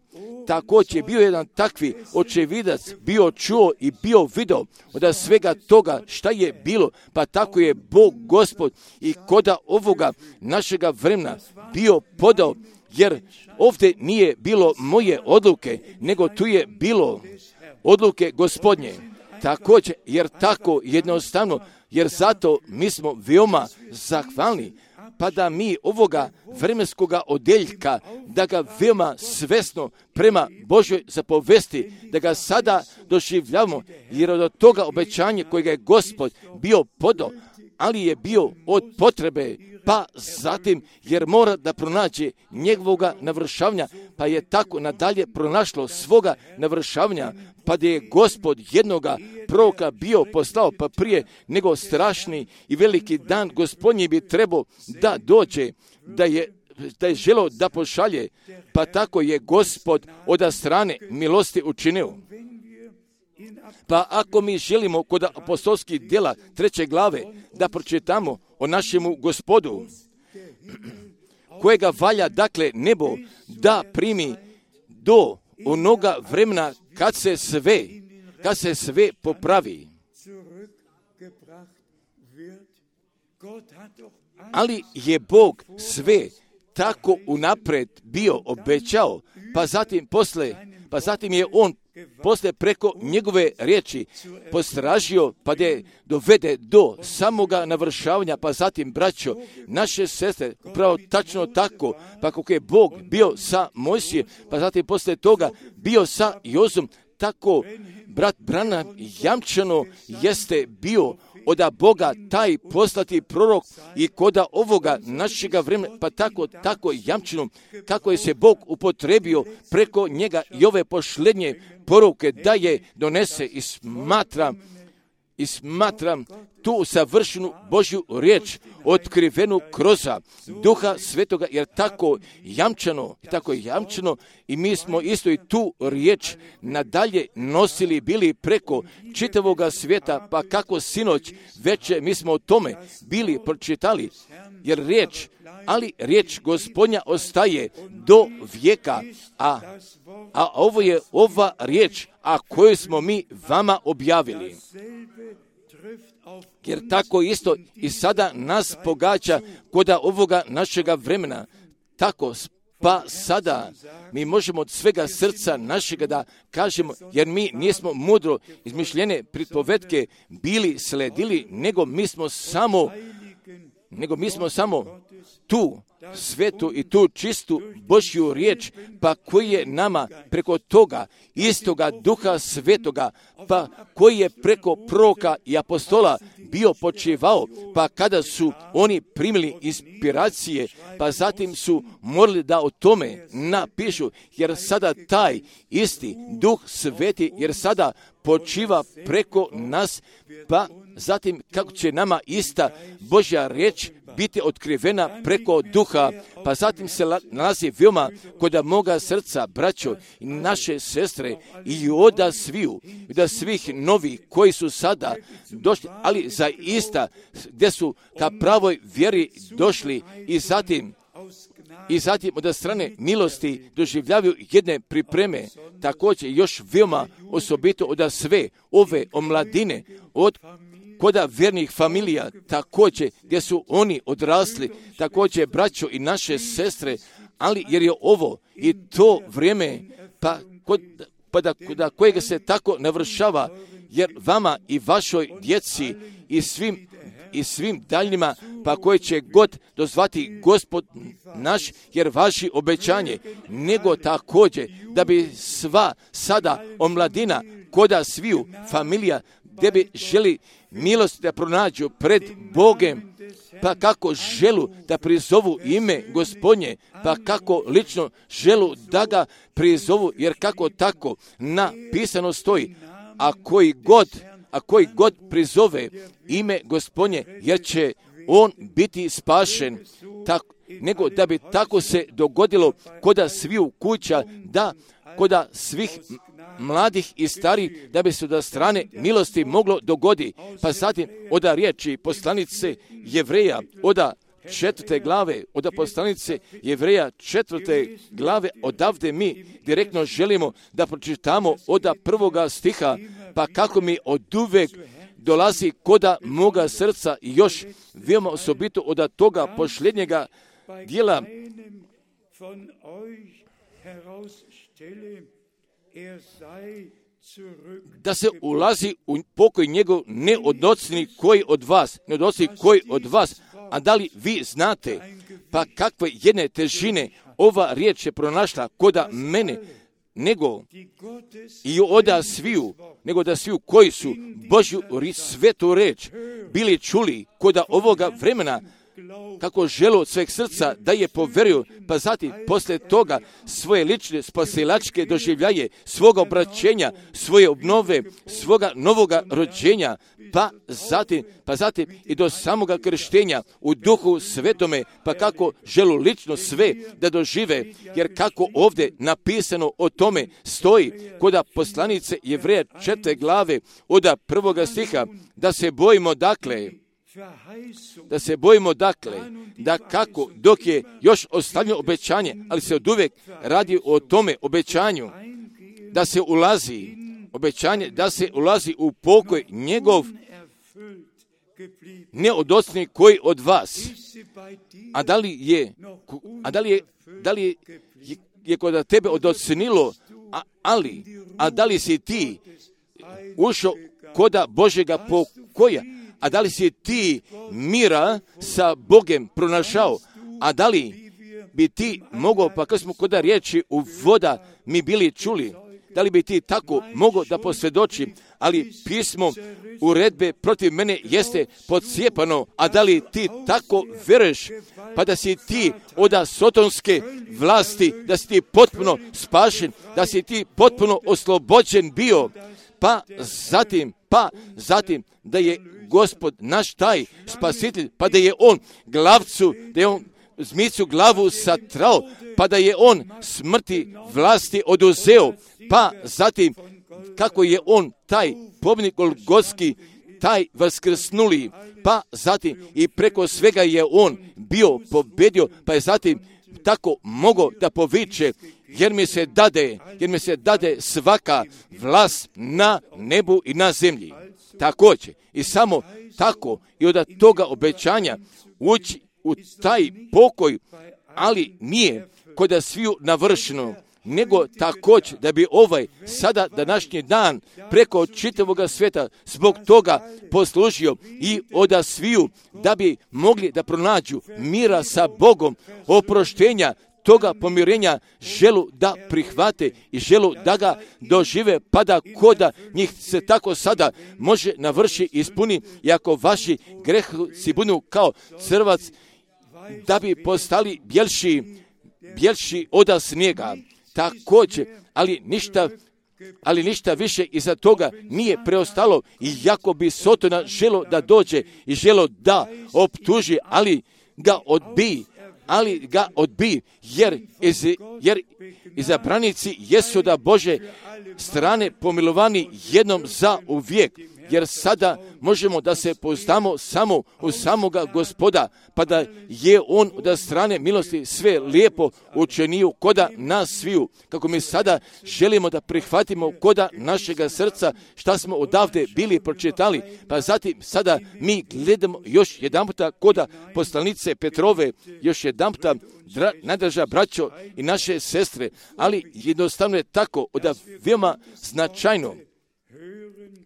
Speaker 1: također bio jedan takvi očevidac, bio čuo i bio video od svega toga šta je bilo, pa tako je Bog Gospod i koda ovoga našega vremena bio podao, jer ovdje nije bilo moje odluke, nego tu je bilo odluke Gospodnje. Također, jer tako jednostavno, jer zato mi smo veoma zahvalni, pa da mi ovoga vremenskoga odeljka, da ga veoma svesno prema Božoj zapovesti, da ga sada doživljavamo, jer od toga obećanja kojega je Gospod bio podao, ali je bio od potrebe, pa zatim jer mora da pronađe njegovoga navršavanja, pa je tako nadalje pronašlo svoga navršavanja, pa da je Gospod jednoga proroka bio poslao, pa prije nego strašni i veliki dan Gospodnji bi trebao da dođe, da je želeo da pošalje, pa tako je Gospod od strane milosti učinio. Pa ako mi želimo kod apostolskih djela 3. glave da pročitamo o našemu Gospodu, kojega valja dakle nebo da primi do onoga vremena kad se sve popravi. Ali je Bog sve tako unapred bio obećao, pa zatim je on poslije preko njegove riječi postražio, pa da je dovede do samoga navršavanja, pa zatim, braćo, naše sestre, upravo tačno tako, pa kako je Bog bio sa Mojsijem, pa zatim poslije toga bio sa Jozom, tako brat Branham jamčano jeste bio od Boga taj poslati prorok i koda ovoga našega vremena, pa tako jamčeno kako je se Bog upotrebio preko njega i ove posljednje poruke da je donese i smatram tu savršenu Božju riječ otkrivenu kroz Duha Svetoga, jer tako jamčano i mi smo isto i tu riječ nadalje nosili bili preko čitavoga svijeta, pa kako sinoć večer mi smo o tome bili pročitali, jer riječ Gospodnja ostaje do vijeka, a ovo je ova riječ, a koju smo mi vama objavili. Jer tako isto i sada nas pogađa koda ovoga našega vremena. Tako, pa sada mi možemo od svega srca našega da kažemo, jer mi nismo mudro izmišljene pripovetke bili sledili, nego mi smo samo tu svetu i tu čistu Božju riječ, pa koji je nama preko toga istoga Duha Svetoga, pa koji je preko proroka i apostola bio počivao, pa kada su oni primili inspiracije, pa zatim su morali da o tome napišu, jer sada taj isti Duh Sveti, jer sada počiva preko nas, pa zatim kako će nama ista Božja riječ biti otkrivena preko Duha, pa zatim se nalazi veoma kod moga srca, braćo i naše sestre, i od svih novih koji su sada došli, ali zaista gdje su ka pravoj vjeri došli i zatim od strane milosti doživljavaju jedne pripreme, također još veoma osobito od sve ove omladine, od koda vjernih familija, također gdje su oni odrasli, također braćo i naše sestre, ali jer je ovo i to vrijeme, da kojega se tako navršava, jer vama i vašoj djeci i svim daljnjima, pa koje će god dozvati Gospod naš, jer vaši obećanje, nego također da bi sva sada omladina koda sviju familija, gdje bi želi milost da pronađu pred Bogem, pa kako želu da prizovu ime Gospodnje, pa kako lično želu da ga prizovu, jer kako tako napisano stoji, a koji god prizove ime Gospodnje, jer će on biti spašen, nego da bi tako se dogodilo koda sviju kuća, da koda svih mladih i starih, da bi se od strane milosti moglo dogodi. Pa zatim od riječi poslanice Jevreja, od 4. glave, od poslanice Jevreja 4. glave, odavde mi direktno želimo da pročitamo od 1. stiha, pa kako mi oduvek dolazi koda moga srca i još veoma osobito od toga posljednjega dijela. da se ulazi u pokoj njegov neodnocni koji od vas, a da li vi znate, pa kakve jedne težine ova riječ je pronašla koda mene, nego i da sviju koji su Božju svetu reč bili čuli koda ovoga vremena, kako žele od sveg srca da je poveruju, pa zatim poslije toga svoje lične spasilačke doživljaje, svoga obraćenja, svoje obnove, svoga novoga rođenja, pa zatim i do samoga krštenja u Duhu Svetome, pa kako želu lično sve da dožive, jer kako ovdje napisano o tome stoji koda poslanice Jevreja 4. glave od 1. stiha, da se bojimo dakle, da kako dok je još ostavljeno obećanje, ali se oduvijek radi o tome obećanju, da se ulazi u pokoj njegov neodocni koji od vas. A da li je kod tebe odocnilo, a da li si ti ušao koda Božjega pokoja, a da li si ti mira sa Bogem pronašao, a da li bi ti mogao, pa kad smo koda riječi u voda mi bili čuli, da li bi ti tako mogao da posvjedoči, ali pismo uredbe protiv mene jeste podcijepano, a da li ti tako veruješ, pa da si ti od sotonske vlasti, da si ti potpuno spašen, da si ti potpuno oslobođen bio, pa zatim da je Gospod naš taj spasitelj, pa da je on zmicu glavu satrao, pa da je on smrti vlasti oduzeo, pa zatim kako je on taj pobjednik Golgotski, taj vaskrsnuli, pa zatim i preko svega je on bio pobjedio, pa je zatim tako mogao da poviče, jer mi se dade svaka vlast na nebu i na zemlji. Također, i samo tako i od toga obećanja ući u taj pokoj, ali nije kod sviju navršeno, nego također da bi sada današnji dan preko čitavoga svijeta zbog toga poslužio i od sviju da bi mogli da pronađu mira sa Bogom, oproštenja, toga pomirenja, želu da prihvate i želu da ga dožive, pa da koda njih se tako sada može navrši i ispuni, i ako vaši gresi budu kao crvac, da bi postali bjelši od snijega. Također, ali ništa više iza toga nije preostalo, i jako bi Sotona želo da dođe i želo da optuži, ali ga odbi, jer izabranici jesu da Bože strane pomilovani jednom za uvijek, jer sada možemo da se pouzdamo samo u samoga Gospoda, pa da je on od strane milosti sve lijepo učinio koda nas sviju, kako mi sada želimo da prihvatimo koda našega srca šta smo odavde bili pročitali, pa zatim sada mi gledamo još jedan puta koda poslanice Petrove, još jedan puta, najdraža braćo i naše sestre, ali jednostavno je tako da veoma značajno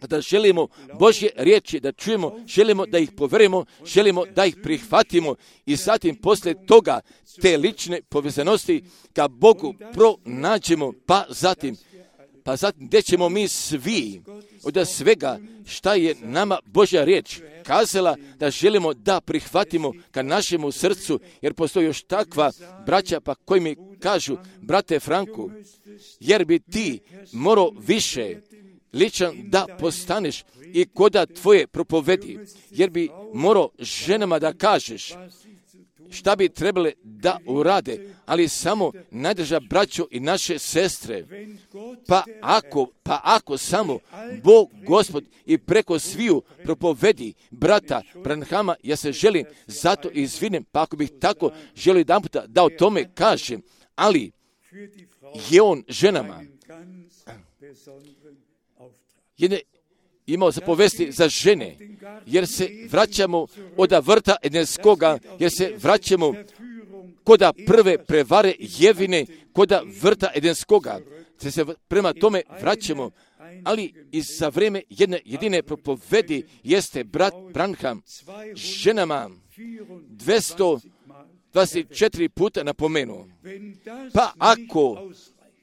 Speaker 1: da želimo Božje riječi da čujemo, želimo da ih poverujemo, želimo da ih prihvatimo i zatim poslije toga te lične povezanosti ka Bogu pronađemo, pa zatim gdje ćemo mi svi od svega šta je nama Božja riječ kazala da želimo da prihvatimo ka našemu srcu, jer postoji još takva braća pa koji mi kažu, brate Franku, jer bi ti morao više ličan da postaneš i koda tvoje propovedi, jer bi morao ženama da kažeš šta bi trebale da urade, ali samo najdraža braćo i naše sestre, pa ako samo Bog Gospod i preko sviju propovedi brata Branhama, ja se želim zato izvinem, pa ako bih tako želio jedan puta da o tome kažem, ali je on ženama imao zapovesti za žene, jer se vraćamo od vrta Edenskoga, jer se vraćamo koda prve prevare Jevine, koda vrta Edenskoga, se prema tome vraćamo,
Speaker 2: ali i za vrijeme jedne jedine propovedi jeste brat Branham ženama 224 puta napomenuo. Pa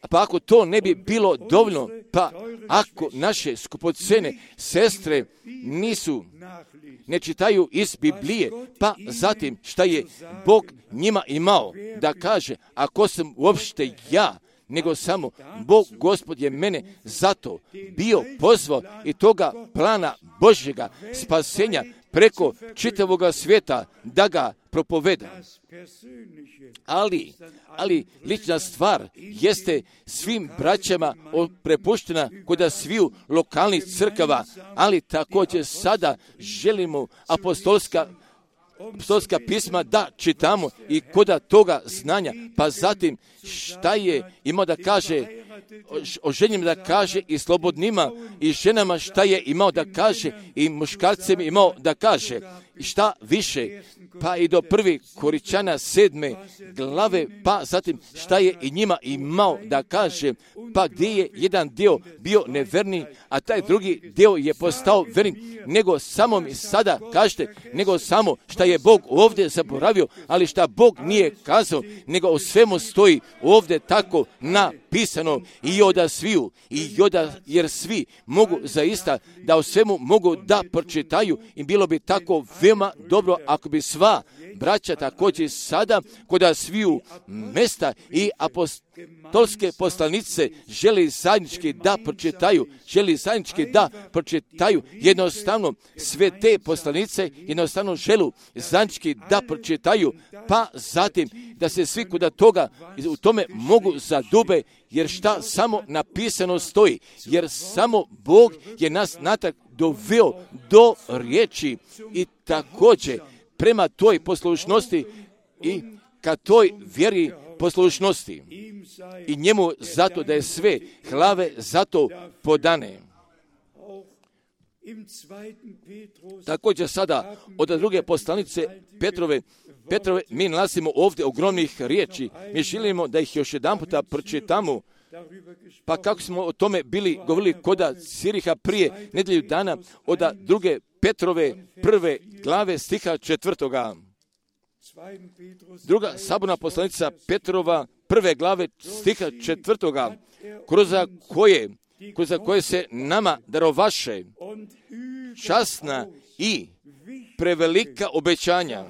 Speaker 2: ako to ne bi bilo dovoljno, pa ako naše skupocene sestre ne čitaju iz Biblije, pa zatim šta je Bog njima imao da kaže, ako sam uopšte ja, nego samo Bog Gospod je mene zato bio pozvao i toga plana Božjega spasenja preko čitavoga svijeta da ga propoveda. Ali lična stvar jeste svim braćama prepuštena kod sviju lokalnih crkava, ali također sada želimo apostolska pisma da čitamo i kod toga znanja, pa zatim šta je imao da kaže o ženima da kaže i slobodnima i ženama šta je imao da kaže i muškarcem imao da kaže i šta više, pa i do 1. Korinćana 7. glave, pa zatim šta je i njima imao da kaže, pa gdje je jedan dio bio neverni, a taj drugi dio je postao verni, nego samo mi sada kažete, nego samo šta je Bog ovdje zaboravio, ali šta Bog nije kazao, nego o svemu stoji ovdje tako napisano i oda sviju, jer svi mogu zaista da o svemu mogu da pročitaju i bilo bi tako veoma dobro ako bi sva braća također sada kod sviju mesta i apostolske poslanice želi zajednički da pročitaju jednostavno sve te poslanice jednostavno želu zajednički da pročitaju, pa zatim da se svi kod toga u tome mogu zadube, jer šta samo napisano stoji, jer samo Bog je nas natrag doveo do riječi i također prema toj poslušnosti i ka toj vjeri poslušnosti i njemu zato da je sve hlave zato podane. Također sada od druge poslanice Petrove mi nalazimo ovdje ogromnih riječi. Mi želimo da ih još jedan puta pročitamo. Pa kako smo o tome govorili koda Ciriha prije nedjelju dana od druge Petrove 1. glave stiha 4. Druga saborna poslanica Petrova 1. glave stiha 4. kroz koje se nama darovaše časna i prevelika obećanja,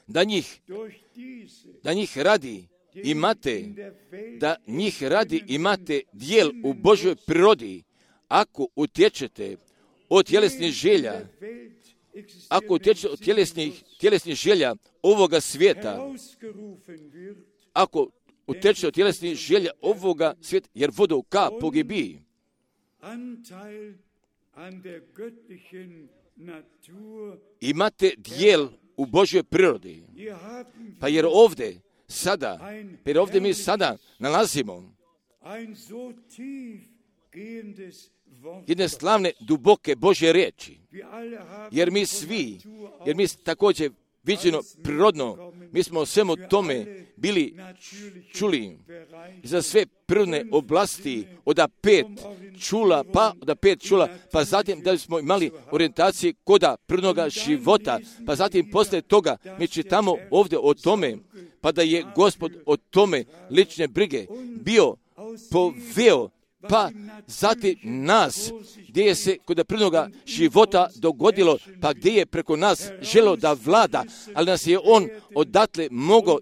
Speaker 2: da njih radi imate dijel u Božoj prirodi, ako utječete od tjelesnih želja, ovoga svijeta, jer vodu ka pogibiji. Imate dijel u Božjoj prirodi. Pa jer ovdje mi sada nalazimo jedne slavne, duboke Božje riječi. Jer mi također viđeno prirodno, mi smo o svemu tome bili čuli za sve prirodne oblasti od 5 čula, pa zatim da smo imali orijentacije koda prirodnoga života, pa zatim poslije toga mi čitamo ovdje o tome, pa da je Gospod o tome lične brige bio poveo, pa zatim nas, gdje je se kod prirodnoga života dogodilo, pa gdje je preko nas želo da vlada, ali nas je on odatle mogao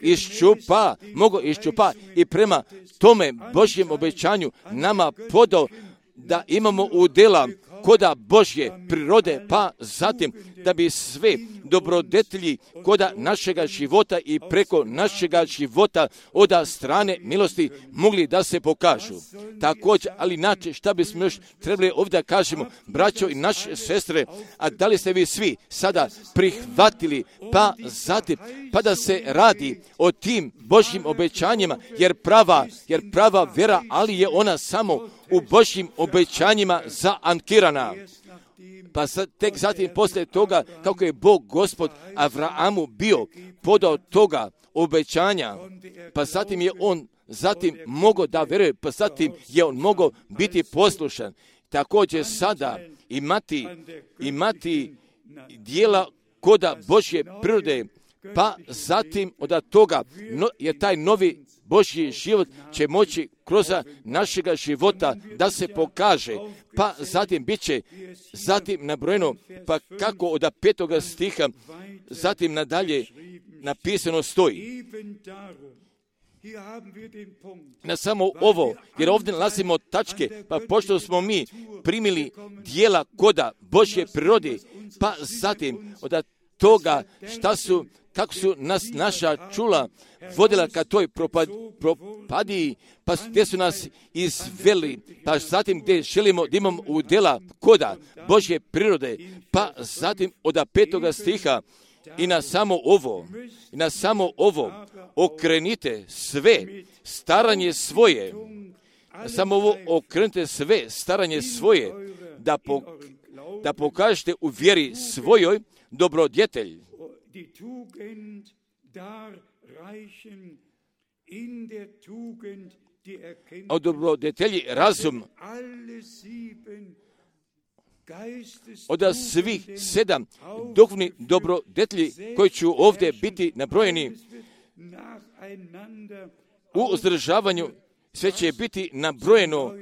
Speaker 2: iščupa i prema tome Božjem obećanju nama podao da imamo udjela koda Božje prirode, pa zatim da bi sve dobrodetelji koda našega života i preko našega života od strane milosti mogli da se pokažu. Također, ali inače šta bismo još trebali ovdje kažemo, braćo i naše sestre, a da li ste vi svi sada prihvatili, pa zatim, pa da se radi o tim Božjim obećanjima, jer prava vjera, ali je ona samo u Božjim obećanjima zaankirana. Pa tek zatim poslije toga, kako je Bog Gospod Avrahamu bio podao toga obećanja, pa zatim je on mogao da vjeruje, pa zatim je on mogao biti poslušan. Također sada imati dijela koda Božje prirode, pa zatim od toga je taj novi Božji život će moći kroz našega života da se pokaže, pa zatim bit će nabrojeno, pa kako od 5. stiha zatim nadalje napisano stoji. Na samo ovo, jer ovdje nalazimo tačke, pa pošto smo mi primili dijela koda Božje prirode, pa zatim od toga kako su nas naša čula vodila ka toj propadiji, pa gdje su nas izveli, pa zatim gdje želimo da imamo udjela koda Božje prirode, pa zatim od 5. stiha i na samo ovo okrenite sve staranje svoje, samo ovo okrenite sve staranje svoje, da pokažete u vjeri svojoj dobrodjetelj. O dobrodjetelji razum, od svih 7 duhovnih dobrodjetelji koji će ovdje biti nabrojeni u uzdržavanju, sve će biti nabrojeno,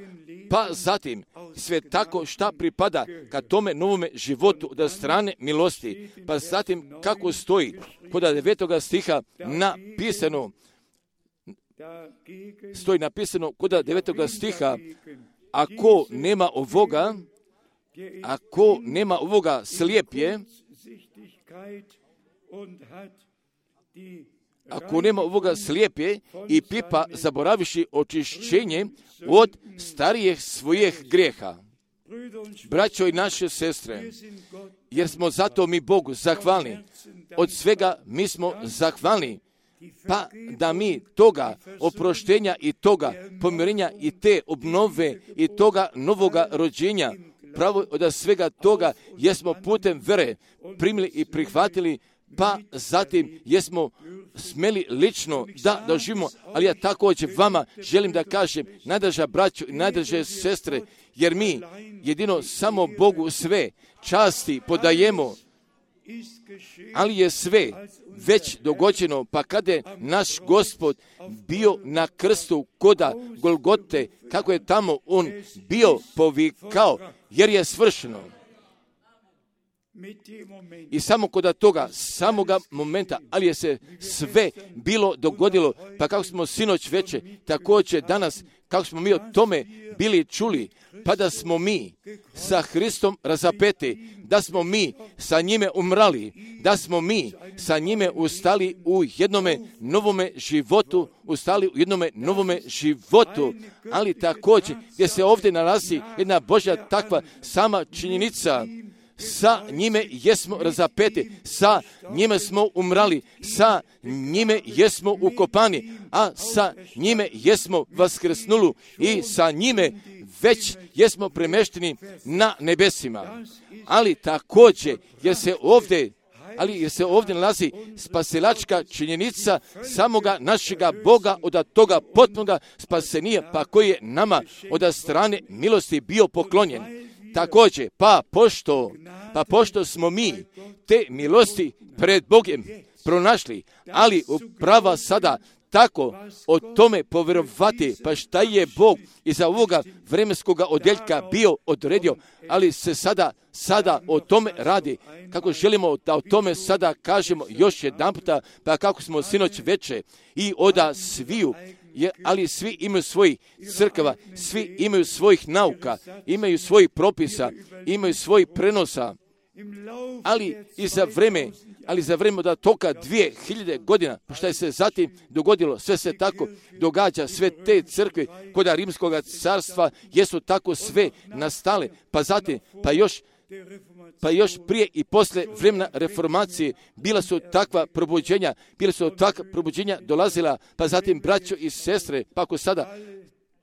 Speaker 2: pa zatim sve tako šta pripada ka tome novome životu od strane milosti, pa zatim kako stoji kod 9. stiha napisano kod 9. stiha, ako nema ovoga slijep je, ako nema ovoga slijepe i pipa zaboraviši očišćenje od starijih svojih grijeha. Braćo i naše sestre, jer smo zato mi Bogu zahvalni, od svega mi smo zahvalni, pa da mi toga oproštenja i toga pomirenja i te obnove i toga novoga rođenja, pravo od svega toga jesmo putem vere primili i prihvatili, pa zatim jesmo smeli lično da doživimo, ali ja također vama želim da kažem, najdraža braćo i najdraže sestre, jer mi jedino samo Bogu sve časti podajemo, ali je sve već dogođeno, pa kada je naš Gospod bio na krstu koda Golgote, kako je tamo on bio povikao, jer je svršeno. I samo kod toga, samoga momenta, ali je se sve bilo dogodilo, pa kako smo sinoć veče, također danas, kako smo mi o tome bili čuli, pa da smo mi sa Hristom razapeti, da smo mi sa njime umrali, da smo mi sa njime ustali u jednome novome životu, ali također gdje se ovdje nalazi jedna Božja takva sama činjenica, sa njime jesmo razapeti, sa njime smo umrali, sa njime jesmo ukopani, a sa njime jesmo vaskrsnuli i sa njime već jesmo premešteni na nebesima. Ali također, jer se ovdje nalazi spasilačka činjenica samoga našega Boga od toga potpunoga spasenija, pa koji je nama od strane milosti bio poklonjen. Također, pa pošto smo mi te milosti pred Bogom pronašli, ali upravo sada tako o tome povjerovati, pa šta je Bog iza ovoga vremenskog odjeljka bio odredio, ali se sada o tome radi, kako želimo da o tome sada kažemo još jedan puta, pa kako smo sinoć veče i oda sviju, ali svi imaju svojih crkava, svi imaju svojih nauka, imaju svojih propisa, imaju svojih prenosa, ali za vreme od toga 2000 godina, šta je se zatim dogodilo, sve se tako događa, sve te crkve kod Rimskog carstva jesu tako sve nastale, pa zatim, pa još prije i poslije vremena reformacije bila su takva probuđenja dolazila, pa zatim braćo i sestre, pa ako sada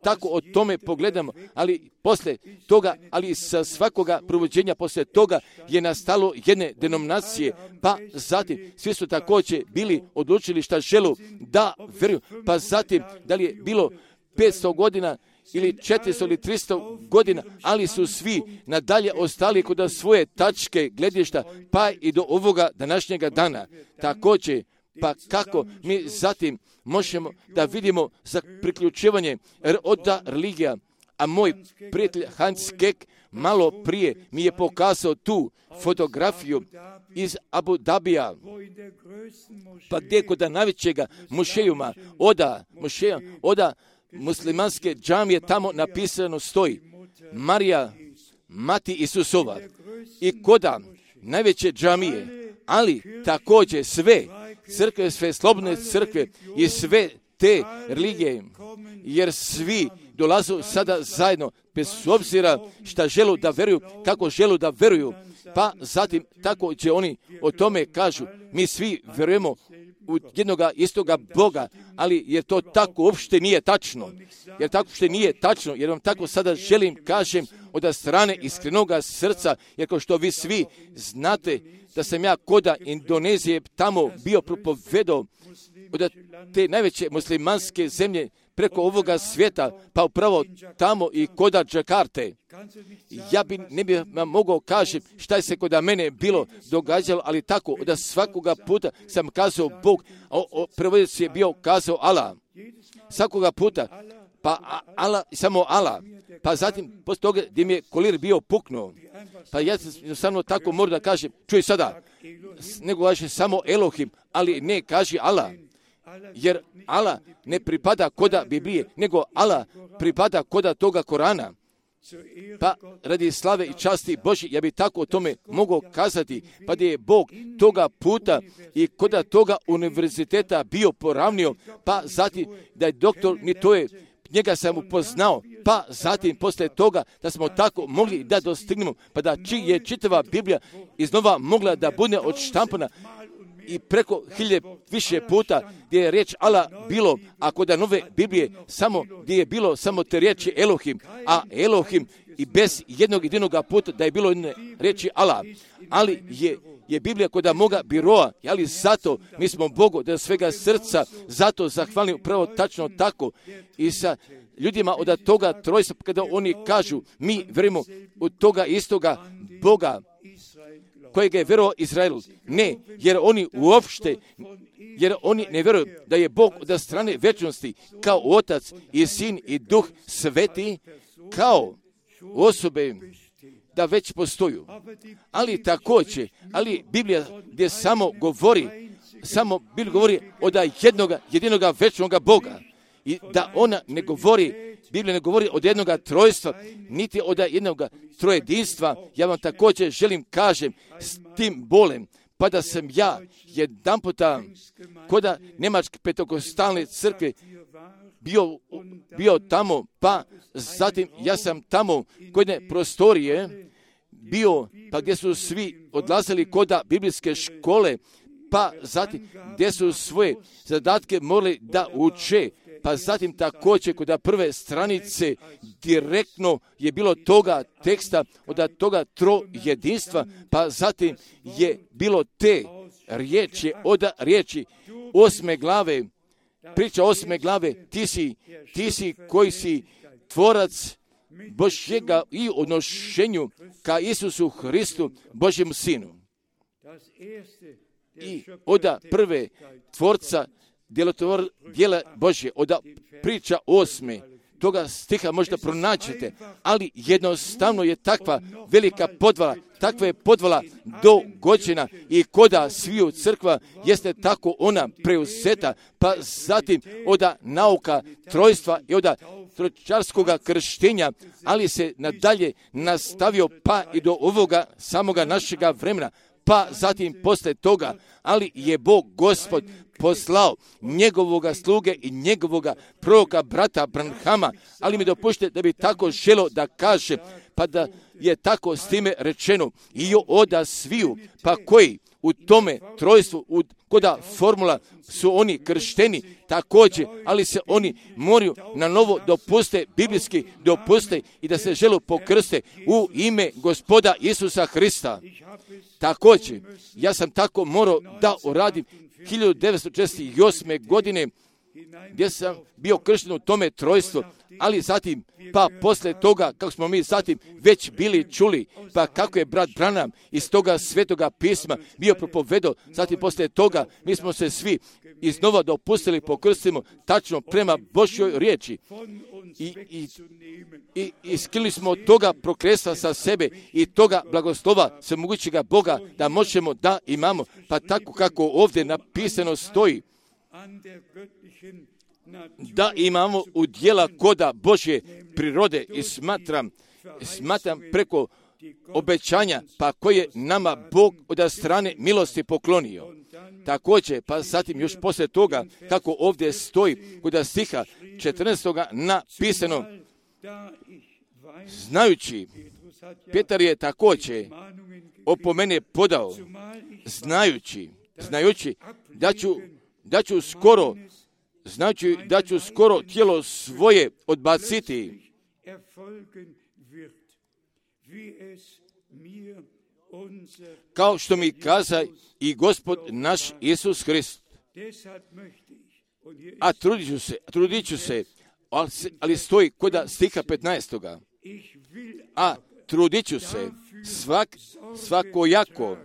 Speaker 2: tako o tome pogledamo, ali poslije toga, ali sa svakoga provođenja poslije toga je nastalo jedne denominacije, pa zatim svi su također bili odlučili šta želu da vjeruju, pa zatim da li je bilo 500 godina ili 400 ili 300 godina, ali su svi nadalje ostali kod svoje tačke gledišta, pa i do ovoga današnjega dana. Također, pa kako mi zatim možemo da vidimo za priključivanje od religija, a moj prijatelj Hans Keck malo prije mi je pokazao tu fotografiju iz Abu Dabija, pa gdje kod najvećega mušejuma, oda muslimanske džamije, tamo napisano stoji Marija, mati Isusova, i koda najveće džamije, ali također sve crkve, sve slobodne crkve i sve te religije, jer svi dolazu sada zajedno, bez obzira šta želu da veruju, kako želu da veruju, pa zatim tako će oni o tome kažu, mi svi verujemo u jednoga istoga Boga, ali jer to tako uopšte nije tačno. Jer vam tako sada želim kažem od strane iskrenoga srca, jer kao što vi svi znate da sam ja koda Indonezije tamo bio propovedao od te najveće muslimanske zemlje preko ovoga svijeta, pa upravo tamo i koda Džakarte. Ja ne bi vam mogao kažem šta je se kod mene bilo događalo, ali tako da svakoga puta sam kazao Bog, a prevoditelj je bio kazao Allah. Svakoga puta, pa Allah, samo Allah. Pa zatim, poslije toga gdje mi je kolir bio puknuo, pa ja sam tako moram da kažem, čuj sada, nego kaže samo Elohim, ali ne kaže Allah. Jer Allah ne pripada koda Biblije, nego Allah pripada koda toga Korana. Pa radi slave i časti Božje, ja bi tako o tome mogao kazati, pa da je Bog toga puta i koda toga univerziteta bio poravnio, pa zatim da je doktor, ni to je, njega sam upoznao, pa zatim poslije toga da smo tako mogli da dostignemo, pa da je čitava Biblija iznova mogla da bude odštampana i preko 1000 više puta gdje je riječ Allah bilo, a kod nove Biblije samo gdje je bilo samo te riječi Elohim, a Elohim i bez jednog jedinog puta da je bilo jedne riječi Allah, ali je Biblija kod moga biroa, ali zato mi smo Bogu da svega srca zato zahvalni upravo tačno tako i sa ljudima od toga trojstva, kada oni kažu mi verujemo u toga istoga Boga kojega je vjerovao Izrael. Ne, jer oni ne vjeruju da je Bog od strane vječnosti kao Otac i Sin i Duh Sveti kao osobe da već postoju. Ali također, Biblija gdje samo govori od jedinoga večnoga Boga. I da ona ne govori, Biblija ne govori od jednoga trojstva, niti od jednoga trojedinstva. Ja vam također želim kažem s tim bolem, pa da sam ja jedan puta koda Njemačke pentekostalne crkve bio tamo, pa zatim ja sam tamo kod jedne prostorije bio, pa gdje su svi odlazili koda biblijske škole, pa zatim gdje su svoje zadatke morali da uče, pa zatim također kod prve stranice direktno je bilo toga teksta od toga trojedinstva, pa zatim je bilo te riječi od riječi 8. glave, priča 8. glave, ti si koji si tvorac Božjega i odnošenju ka Isusu Hristu, Božjem Sinu. I od prve tvorca djela Božje, od priča 8. toga stiha možda pronaćete, ali jednostavno je takva velika podvala, takva je podvala dogođena i koda sviju crkva jeste tako ona preuzeta, pa zatim od nauka trojstva i od tročarskoga krštenja, ali se nadalje nastavio pa i do ovoga samoga našega vremena, pa zatim posle toga, ali je Bog Gospod poslao njegovoga sluge i njegovoga proroka brata Branhama, ali mi dopušte da bi tako želo da kaže, pa da je tako s time rečeno i oda sviju, pa koji u tome trojstvu, koda formula su oni kršteni također, ali se oni moraju na novo dopuste, biblijski dopuste i da se žele pokrste u ime Gospoda Isusa Hrista. Također, ja sam tako morao da uradim 1948. godine, gdje sam bio kršten u tome trojstvu, ali zatim, pa poslije toga, kako smo mi zatim već bili čuli, pa kako je brat Branham iz toga svetoga pisma bio propovedao, zatim poslije toga mi smo se svi iznova dopustili pokrstimo tačno prema Božjoj riječi i skili smo od toga prokletstva sa sebe i toga blagoslova svemogućega Boga da možemo da imamo, pa tako kako ovdje napisano stoji, da imamo u djela koda Božje prirode i smatram preko obećanja, pa koje nama Bog od strane milosti poklonio. Također, pa zatim još poslije toga, kako ovdje stoji kod stiha 14. napisano, znajući, Petar je također opomene podao, znajući da ću skoro tijelo svoje odbaciti, kao što mi kaza i Gospod naš Isus Hrist. A trudit ću se, ali stoji kod stiha 15. A trudit ću se svakojako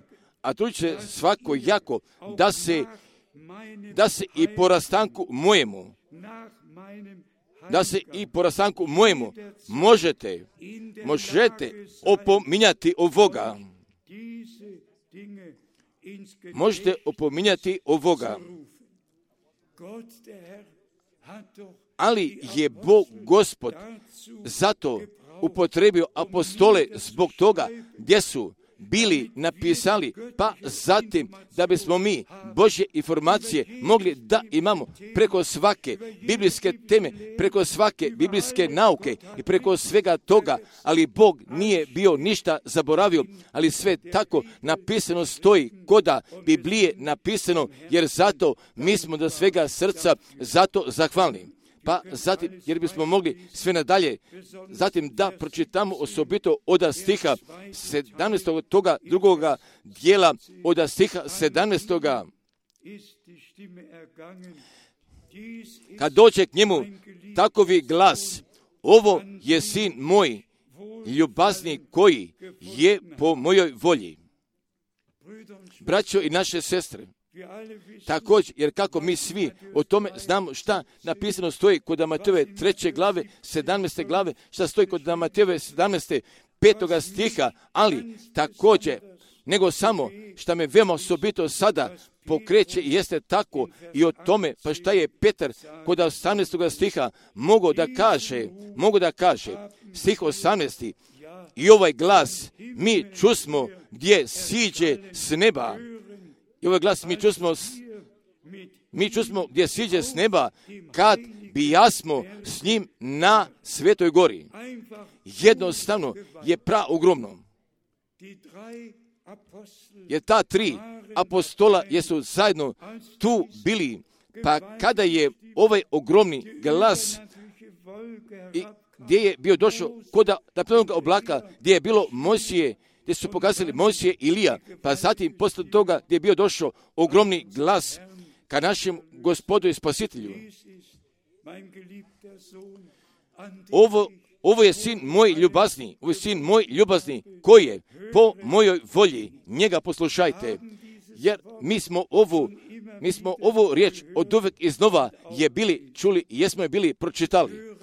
Speaker 2: da se i po rastanku mojemu možete opominjati ovoga. Možete opominjati ovoga. Ali je Bog Gospod zato upotrebio apostole zbog toga gdje su bili napisali, pa zatim da bismo mi Božje informacije mogli da imamo preko svake biblijske teme, preko svake biblijske nauke i preko svega toga, ali Bog nije bio ništa zaboravio, ali sve tako napisano stoji koda Biblije napisano, jer zato mi smo do svega srca zato zahvalni. Pa zatim, jer bismo mogli sve nadalje, zatim da pročitamo osobito od stiha 17. toga drugoga dijela od stiha 17. Kad dođe k njemu takovi glas, ovo je sin moj, ljubazni koji je po mojoj volji. Braćo i naše sestre, također, jer kako mi svi o tome znamo šta napisano stoji kod Matejove 3. glave, 17. glave, šta stoji kod Matejove 17. 5. stiha, ali također, nego samo šta me veoma osobito sada pokreće i jeste tako i o tome, pa šta je Petar kod 18. stiha mogao da kaže, stih 18. I ovaj glas mi čusmo gdje siđe s neba. I ovaj glas mi čusmo gdje siđe s neba, kad bijasmo s njim na Svetoj gori. Jednostavno je ogromno. Jer ta 3 apostola jesu zajedno tu bili, pa kada je ovaj ogromni glas i gdje je bio došao kod naprednog oblaka, gdje je bilo Mojsije, gdje su pokazali Mojsije i Ilija, pa zatim poslije toga gdje je bio došao ogromni glas ka našem Gospodu i Spasitelju. Ovo je sin moj ljubazni, koji je po mojoj volji, njega poslušajte, jer mi smo ovu riječ od uvek iznova je bili čuli i jesmo je bili pročitali.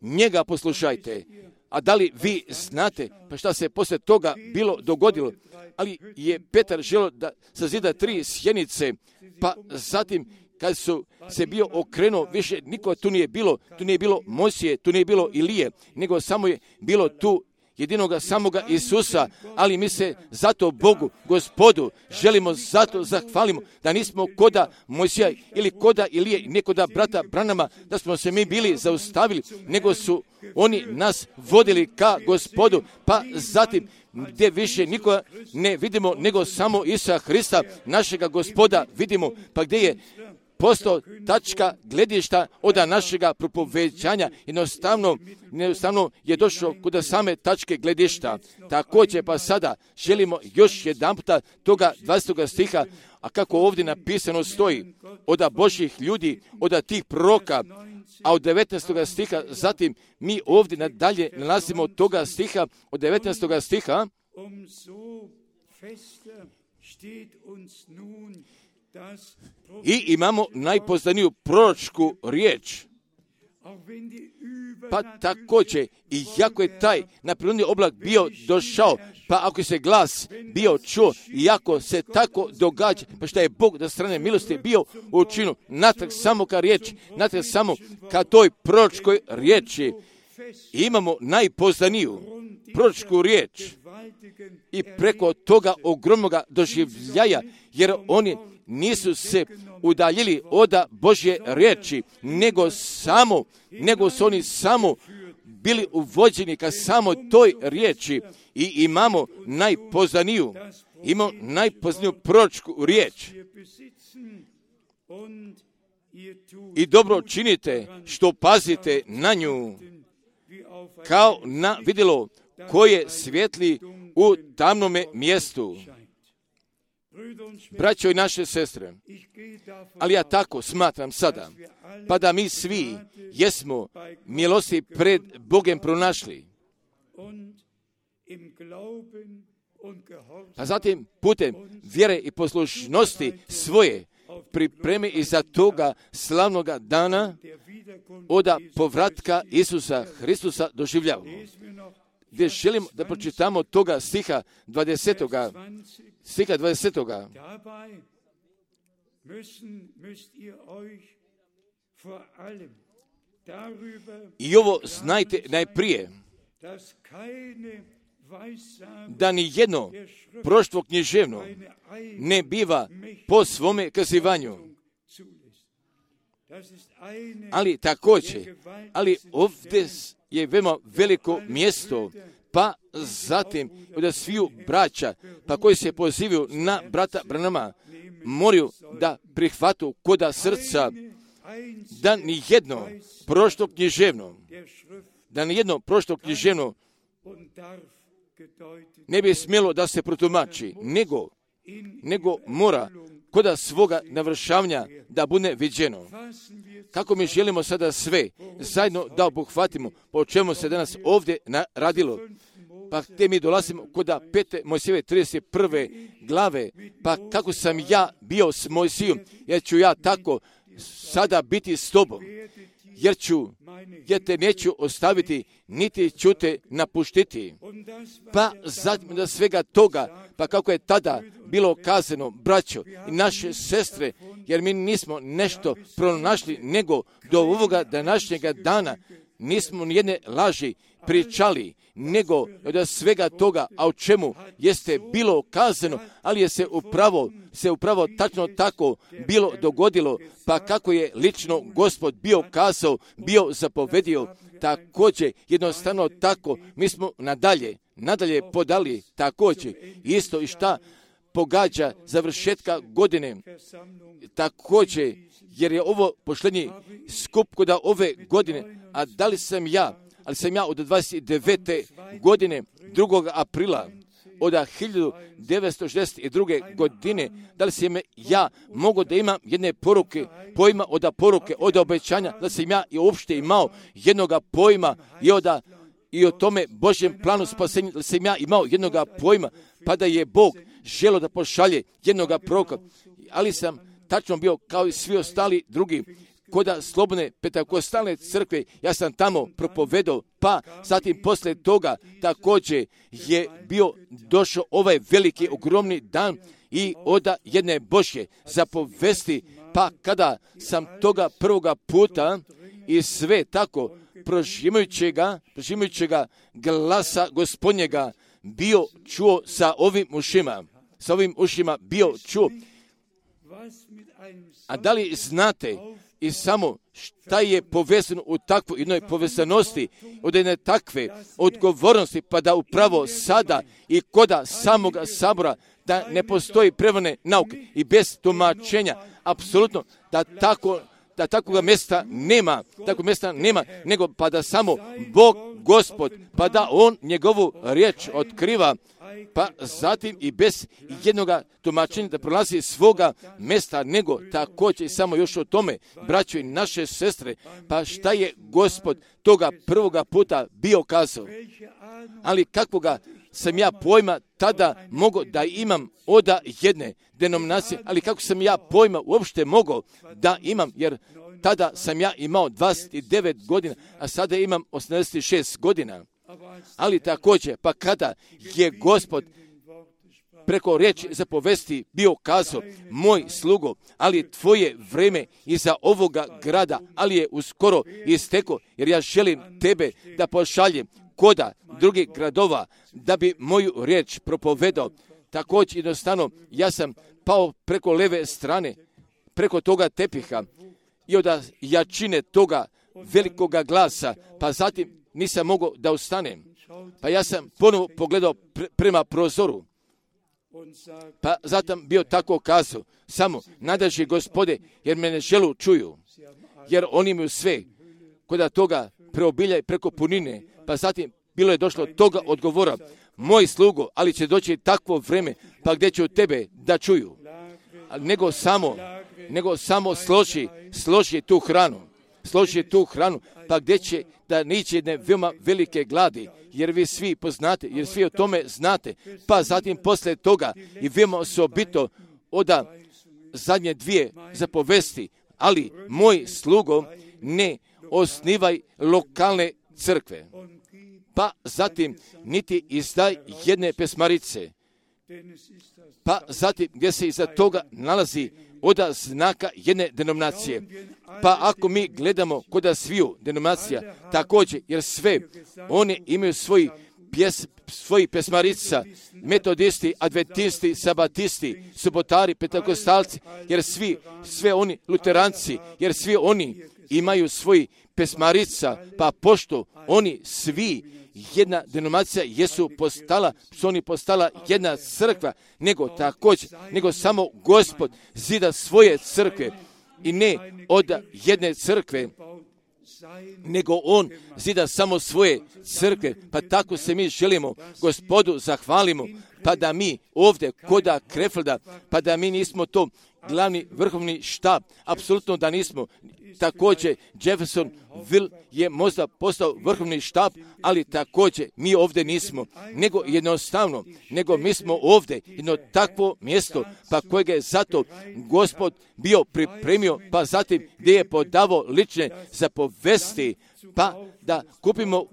Speaker 2: Njega poslušajte. A da li vi znate pa šta se poslije toga bilo dogodilo? Ali je Petar želio da sazida 3 sjenice, pa zatim kad su se bio okrenuo, više niko tu nije bilo Mojsije, tu nije bilo Ilije, nego samo je bilo tu
Speaker 1: jedinoga samoga Isusa, ali mi se zato Bogu, Gospodu, želimo zato zahvalimo da nismo koda Mojsija ili koda Ilije, ne koda brata Branama, da smo se mi bili zaustavili, nego su oni nas vodili ka Gospodu, pa zatim gdje više nikoga ne vidimo nego samo Isusa Hrista, našega Gospoda vidimo, pa gdje je postao tačka gledišta od našega propoveđanja, jednostavno je došlo kod same tačke gledišta. Također pa sada želimo još jedan puta toga 20. stiha, a kako ovdje napisano stoji, od Božjih ljudi, od tih proroka, a od 19. stiha, zatim mi ovdje nadalje nalazimo toga stiha, od 19. stiha, i imamo najpoznaniju proročku riječ. Pa također, i jako je taj naprirodni oblak bio došao, pa ako se glas bio čuo, i ako se tako događa, pa što je Bog da strane milosti bio učinu, natrag samo ka riječi, natrag samo ka toj proročkoj riječi, imamo najpoznaniju proročku riječ i preko toga ogromnoga doživljaja, jer oni nisu se udaljili od Božje riječi, nego su oni samo bili uvođeni ka samo toj riječi i imamo najpoznaniju proročku riječ. I dobro činite što pazite na nju, kao na vidjelo koje svijetli u tamnome mjestu. Braćo i naše sestre, ali ja tako smatram sada, pa da mi svi jesmo milosti pred Bogom pronašli. A zatim putem vjere i poslušnosti svoje pripremi i za toga slavnoga dana od povratka Isusa Hristusa doživljavamo. Gdje želimo da pročitamo toga stiha 20. Stiha 20. I ovo znajte najprije, da ni jedno proroštvo književno ne biva po svome kazivanju. Ali također, ovdje je veoma veliko mjesto, pa zatim od sviju braća, pa koji se pozivaju na brata Branama, moraju da prihvatu koda srca da ni jedno proroštvo književno, ne bi smjelo da se protumači, nego mora koda svoga navršavanja da bude viđeno. Kako mi želimo sada sve zajedno da obuhvatimo, po čemu se danas ovdje radilo. Pa gdje mi dolazimo koda 5. Mojsijeve 31. glave, pa kako sam ja bio s Mojsijom, jer ću ja tako sada biti s tobom, jer te neću ostaviti, niti ću te napuštiti. Pa zatim da svega toga, pa kako je tada bilo kazano, braćo i naše sestre, jer mi nismo nešto pronašli, nego do ovoga današnjega dana nismo nijedne laži pričali, nego od svega toga, a o čemu jeste bilo kazano, ali je se upravo tačno tako bilo dogodilo, pa kako je lično Gospod bio kazao, bio zapovedio, također jednostavno tako mi smo nadalje podali također isto i šta pogađa završetka godine, također jer je ovo posljednji skup kod ove godine, a ali sam ja od 29. godine 2. aprila od 1962. godine, da li sam ja mogao da imam jedne pojma od obećanja, da sam ja i uopšte imao jednoga pojma i o tome Božjem planu spasenja, da sam ja imao jednoga pojma, pa da je Bog želio da pošalje jednoga proroka, ali sam tačno bio kao i svi ostali drugi, koda slobodne Pentekostalne crkve, ja sam tamo propovedao, pa zatim poslije toga također je bio došao ovaj veliki, ogromni dan i od jedne Božje zapovesti, pa kada sam toga prvoga puta i sve tako
Speaker 2: prožimajućega glasa Gospodnjega bio čuo sa ovim ušima bio čuo. A da li znate i samo šta je povezano u takvoj jednoj povezanosti, od jedne takve odgovornosti, pa da upravo sada i koda samoga sabora, da ne postoji prevane nauke i bez tumačenja, apsolutno da takvoga mjesta nema, nego pa da samo Bog, Gospod, pa da On njegovu riječ otkriva, pa zatim i bez jednoga tumačenja da prolazi svoga mjesta, nego također samo još o tome, braćo i naše sestre, pa šta je Gospod toga prvoga puta bio kazao. Ali kakvoga sam ja pojma tada mogao da imam od jedne denominacije, ali kako sam ja pojma uopšte mogao da imam, jer tada sam ja imao 29 godina, a sada imam 86 godina. Ali također, pa kada je Gospod preko riječi zapovesti bio kazao, moj slugo, ali tvoje vreme iza ovoga grada, ali je uskoro isteko, jer ja želim tebe da pošaljem koda drugih gradova, da bi moju riječ propovedao. Također jednostavno, ja sam pao preko leve strane, preko toga tepiha i od jačine toga velikoga glasa, pa zatim nisam mogao da ustanem. Pa ja sam ponovo pogledao prema prozoru, pa zatim bio tako kazao, samo nadaži Gospode, jer me ne želu čuju, jer oni imaju sve, koda toga preobiljaj preko punine, pa zatim bilo je došlo toga odgovora, moj slugo, ali će doći takvo vreme, pa gdje će od tebe da čuju, nego samo složi tu hranu, pa gdje će da niće jedne veoma velike gladi, jer vi svi poznate, jer svi o tome znate, pa zatim posle toga i veoma osobito oda zadnje dvije zapovesti, ali moj slugo, ne osnivaj lokalne crkve, pa zatim niti izdaj jedne pesmarice, pa zatim gdje se iza toga nalazi oda znaka jedne denominacije. Pa ako mi gledamo koda sviju denominacija, također, jer sve oni imaju svoji pesmarica, metodisti, adventisti, sabatisti, subotari, pentekostalci, jer sve oni luteranci, jer svi oni imaju svoji pesmarica, pa pošto oni svi jedna denominacija su oni postala jedna crkva, nego samo Gospod zida svoje crkve i ne od jedne crkve, nego On zida samo svoje crkve, pa tako se mi želimo Gospodu zahvalimo, pa da mi ovdje koda Krefelda, pa da mi nismo to glavni vrhovni štab, apsolutno da nismo. Također Jeffersonville je možda postao vrhovni štab, ali također mi ovdje nismo, nego mi smo ovdje jedno takvo mjesto, pa kojega je zato Gospod bio pripremio, pa zatim gdje je podavao lične zapovesti, pa da kupimo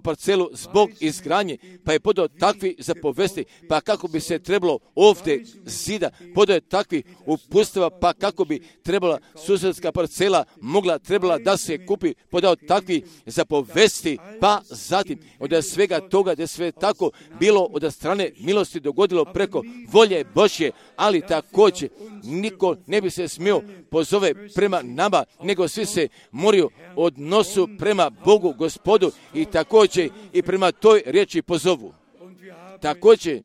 Speaker 2: parcelu zbog izgradnje, pa je podao takvi zapovesti, pa kako bi se trebalo ovdje zida, podao je takvi uputstva, pa kako bi trebala susjedska parcela trebala da se kupi, podao takvi zapovesti, pa zatim od svega toga da je sve tako bilo od strane milosti dogodilo preko volje Božje, ali također niko ne bi se smio pozove prema nama, nego svi se moraju odnosu prema Bogu, Gospodu i također i prema toj riječi pozovu. Također,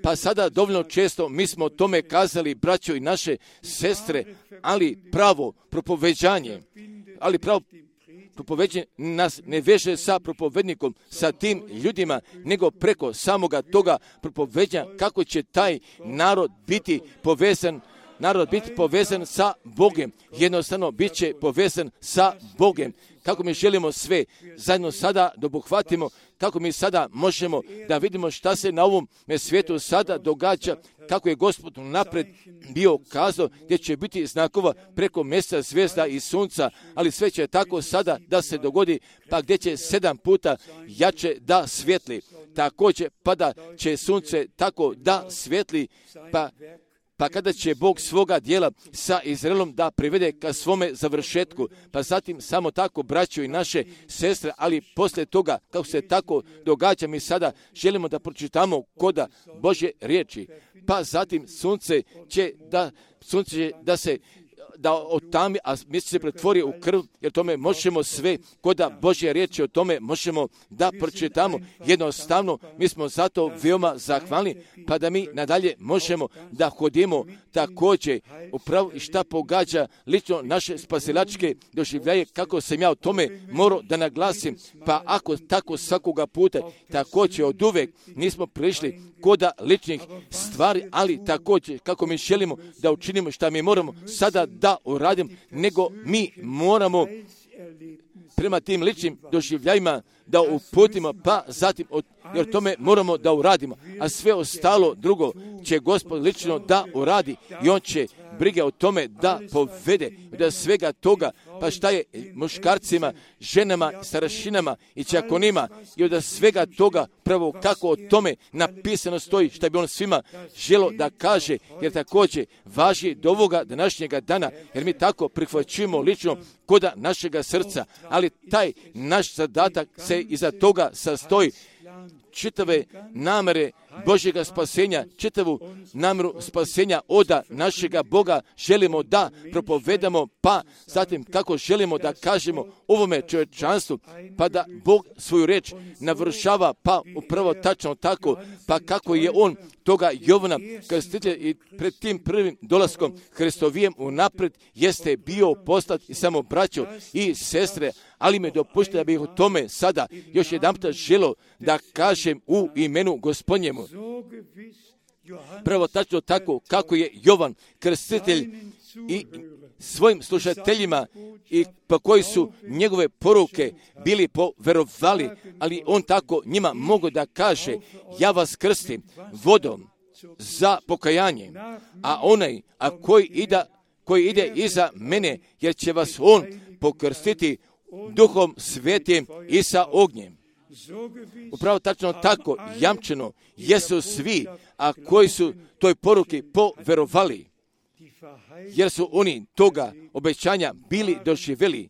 Speaker 2: pa sada dovoljno često mi smo o tome kazali, braćo i naše sestre, ali pravo propoveđanje nas ne veže sa propovednikom, sa tim ljudima, nego preko samoga toga propoveđanja kako će taj narod biti povezan sa Bogom. Jednostavno bit će povezan sa Bogom. Kako mi želimo sve zajedno sada da obuhvatimo, kako mi sada možemo da vidimo šta se na ovom svijetu sada događa, kako je Gospod napred bio kazao gdje će biti znakova preko mjeseca, zvijezda i sunca, ali sve će tako sada da se dogodi, pa gdje će 7 puta jače da svijetli. Također pada će sunce tako da svijetli, pa pa kada će Bog svoga dijela sa Izraelom da privede ka svome završetku, pa zatim samo tako braćo i naše sestre, ali poslije toga, kako se tako događa, mi sada želimo da pročitamo koda Božje riječi, pa zatim sunce će da otami, a mjesec se pretvori u krv, jer tome možemo sve, koda Božje riječi o tome možemo da pročitamo. Jednostavno, mi smo zato veoma zahvalni, pa da mi nadalje možemo da hodimo također upravo i šta pogađa lično naše spasilačke doživljaje, kako sam ja o tome morao da naglasim, pa ako tako svakoga puta, također od uvek nismo prišli koda ličnih stvari, ali također kako mi želimo da učinimo šta mi moramo sada da uradimo, nego mi moramo prema tim ličnim doživljajima da uputimo, pa zatim jer tome moramo da uradimo, a sve ostalo drugo će Gospod lično da uradi i on će brige o tome da povede, da svega toga, pa šta je muškarcima, ženama, starešinama i čakonima i od svega toga pravo kako o tome napisano stoji, šta bi on svima želo da kaže, jer također važi do ovoga današnjega dana, jer mi tako prihvaćujemo lično koda našega srca, ali taj naš zadatak se iza toga sastoji čitave namere Božjega spasenja, čitavu namjeru spasenja oda našega Boga želimo da propovedamo, pa zatim kako želimo da kažemo ovome čovječanstvu, pa da Bog svoju reč navršava, pa upravo tačno tako, pa kako je on toga Jovana Krstitelja i pred tim prvim dolaskom Hristovijem unaprijed jeste bio poslat i samo braćo i sestre, ali me dopušte da bih o tome sada još jedanput želio da kažem u imenu Gospodnjemu. Prvo tačno tako kako je Jovan Krstitelj i svojim slušateljima i po koji su njegove poruke bili poverovali, ali on tako njima mogu da kaže, ja vas krstim vodom za pokajanje, a onaj koji ide iza mene, jer će vas on pokrstiti Duhom Svetim i sa ognjem. Upravo tačno tako jamčeno jesu svi, a koji su toj poruki poverovali, jer su oni toga obećanja bili doživjeli,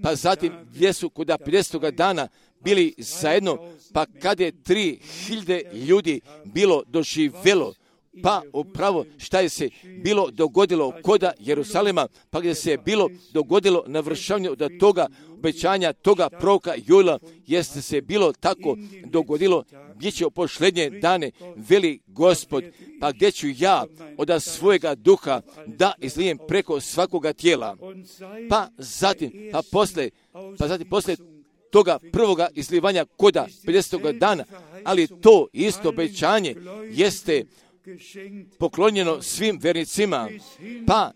Speaker 2: pa zatim jesu kuda 50. dana bili zajedno, pa kada je 3000 ljudi bilo doživjelo, pa upravo šta je se bilo dogodilo koda Jerusalema, pa gdje se je bilo dogodilo navršavanje od toga obećanja, toga proroka Joela, jeste se bilo tako dogodilo, gdje će u posljednje dane veli Gospod, pa gdje ću ja od svojega duha da izlijem preko svakoga tijela. Pa zatim posle toga prvoga izlivanja koda 50. dana, ali to isto obećanje jeste poklonjeno svim vernicima, pa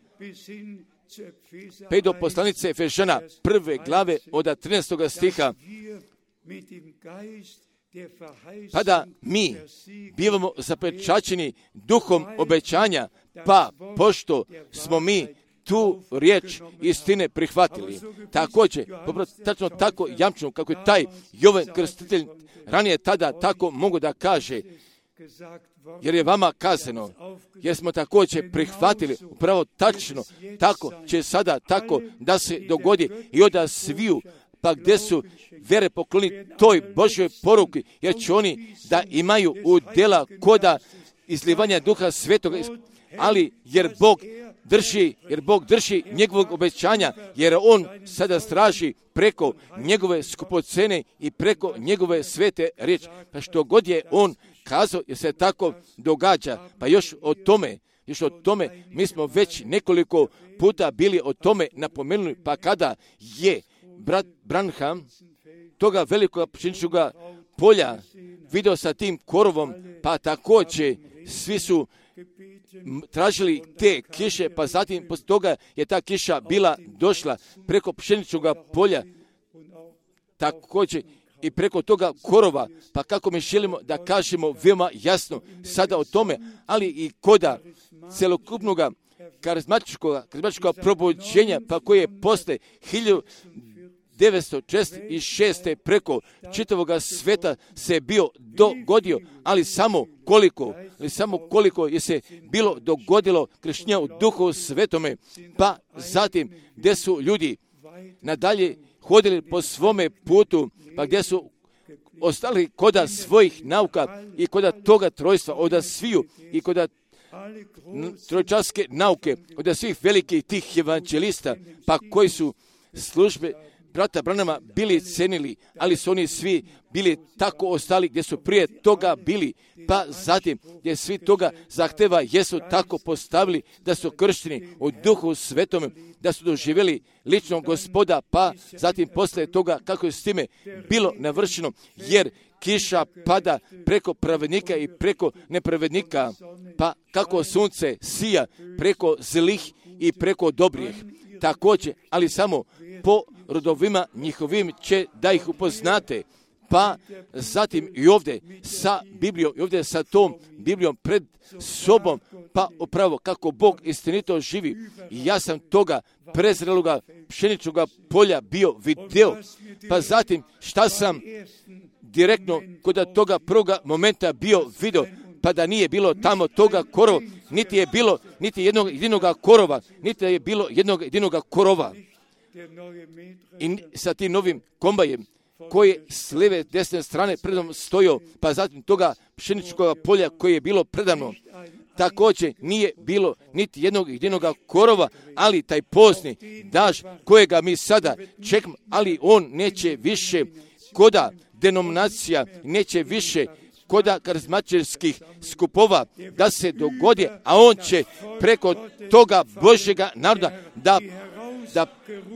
Speaker 2: do poslanice Efežana 1. glave od 13. stiha, pa da mi bivamo zapečaćeni duhom obećanja, pa pošto smo mi tu riječ istine prihvatili. Također, tačno tako jamčeno kako je taj Jovan Krstitelj ranije tada tako mogu da kaže, jer je vama kazano, jer smo također prihvatili, upravo tačno, tako će sada tako da se dogodi i od sviju, pa gdje su vere pokloni toj Božjoj poruki, jer će oni da imaju udjela koda izlivanja Duha Svetoga, ali jer Bog drži njegovog obećanja, jer on sada straži preko njegove skupocene i preko njegove svete riječi. Pa što god je on kazao, jer se tako događa. Pa još o tome mi smo već nekoliko puta bili o tome napomenuli, pa kada je brat Branham toga velikog pšeničnoga polja video sa tim korovom, pa također svi su tražili te kiše, pa zatim poslije toga je ta kiša bila došla preko pšeničnoga polja, također i preko toga korova, pa kako mi želimo da kažemo veoma jasno sada o tome, ali i koda celokupnoga karizmatičkog probuđenja, pa koje je posle 1946. preko čitavoga sveta se bio dogodio, ali samo koliko je se bilo dogodilo krštenja u Duhu Svetome, pa zatim gdje su ljudi nadalje hodili po svome putu, pa gdje su ostali koda svojih nauka i koda toga trojstva, od sviju i koda trojčarske nauke, od svih velikih tih evanđelista, pa koji su službe brata Branhama bili cenili, ali su oni svi bili tako ostali gdje su prije toga bili, pa zatim gdje svi toga zahteva jesu tako postavili da su kršteni u Duhu Svetome, da su doživjeli ličnog Gospoda, pa zatim poslije toga kako je s time bilo navršeno, jer kiša pada preko pravednika i preko nepravednika, pa kako sunce sija preko zlih i preko dobrih. Također, ali samo po rodovima njihovim će da ih upoznate. Pa zatim i ovdje sa Biblijom, i ovdje sa tom Biblijom pred sobom, pa upravo kako Bog istinito živi. I ja sam toga prezreloga pšeničnog polja bio video. Pa zatim šta sam direktno kod toga prvoga momenta bio video, pa da nije bilo tamo toga korova, niti je bilo niti jednog jedinoga korova, niti je bilo jednog jedinoga korova. I sa tim novim kombajem koji s lijeve desne strane predom stojio, pa zatim toga pšeničkog polja koje je bilo predano, također nije bilo niti jednog jedinoga korova, ali taj pozni daž kojega mi sada čekamo, ali on neće više koda denominacija, neće više koda karizmatičkih skupova da se dogodi, a on će preko toga Božjega naroda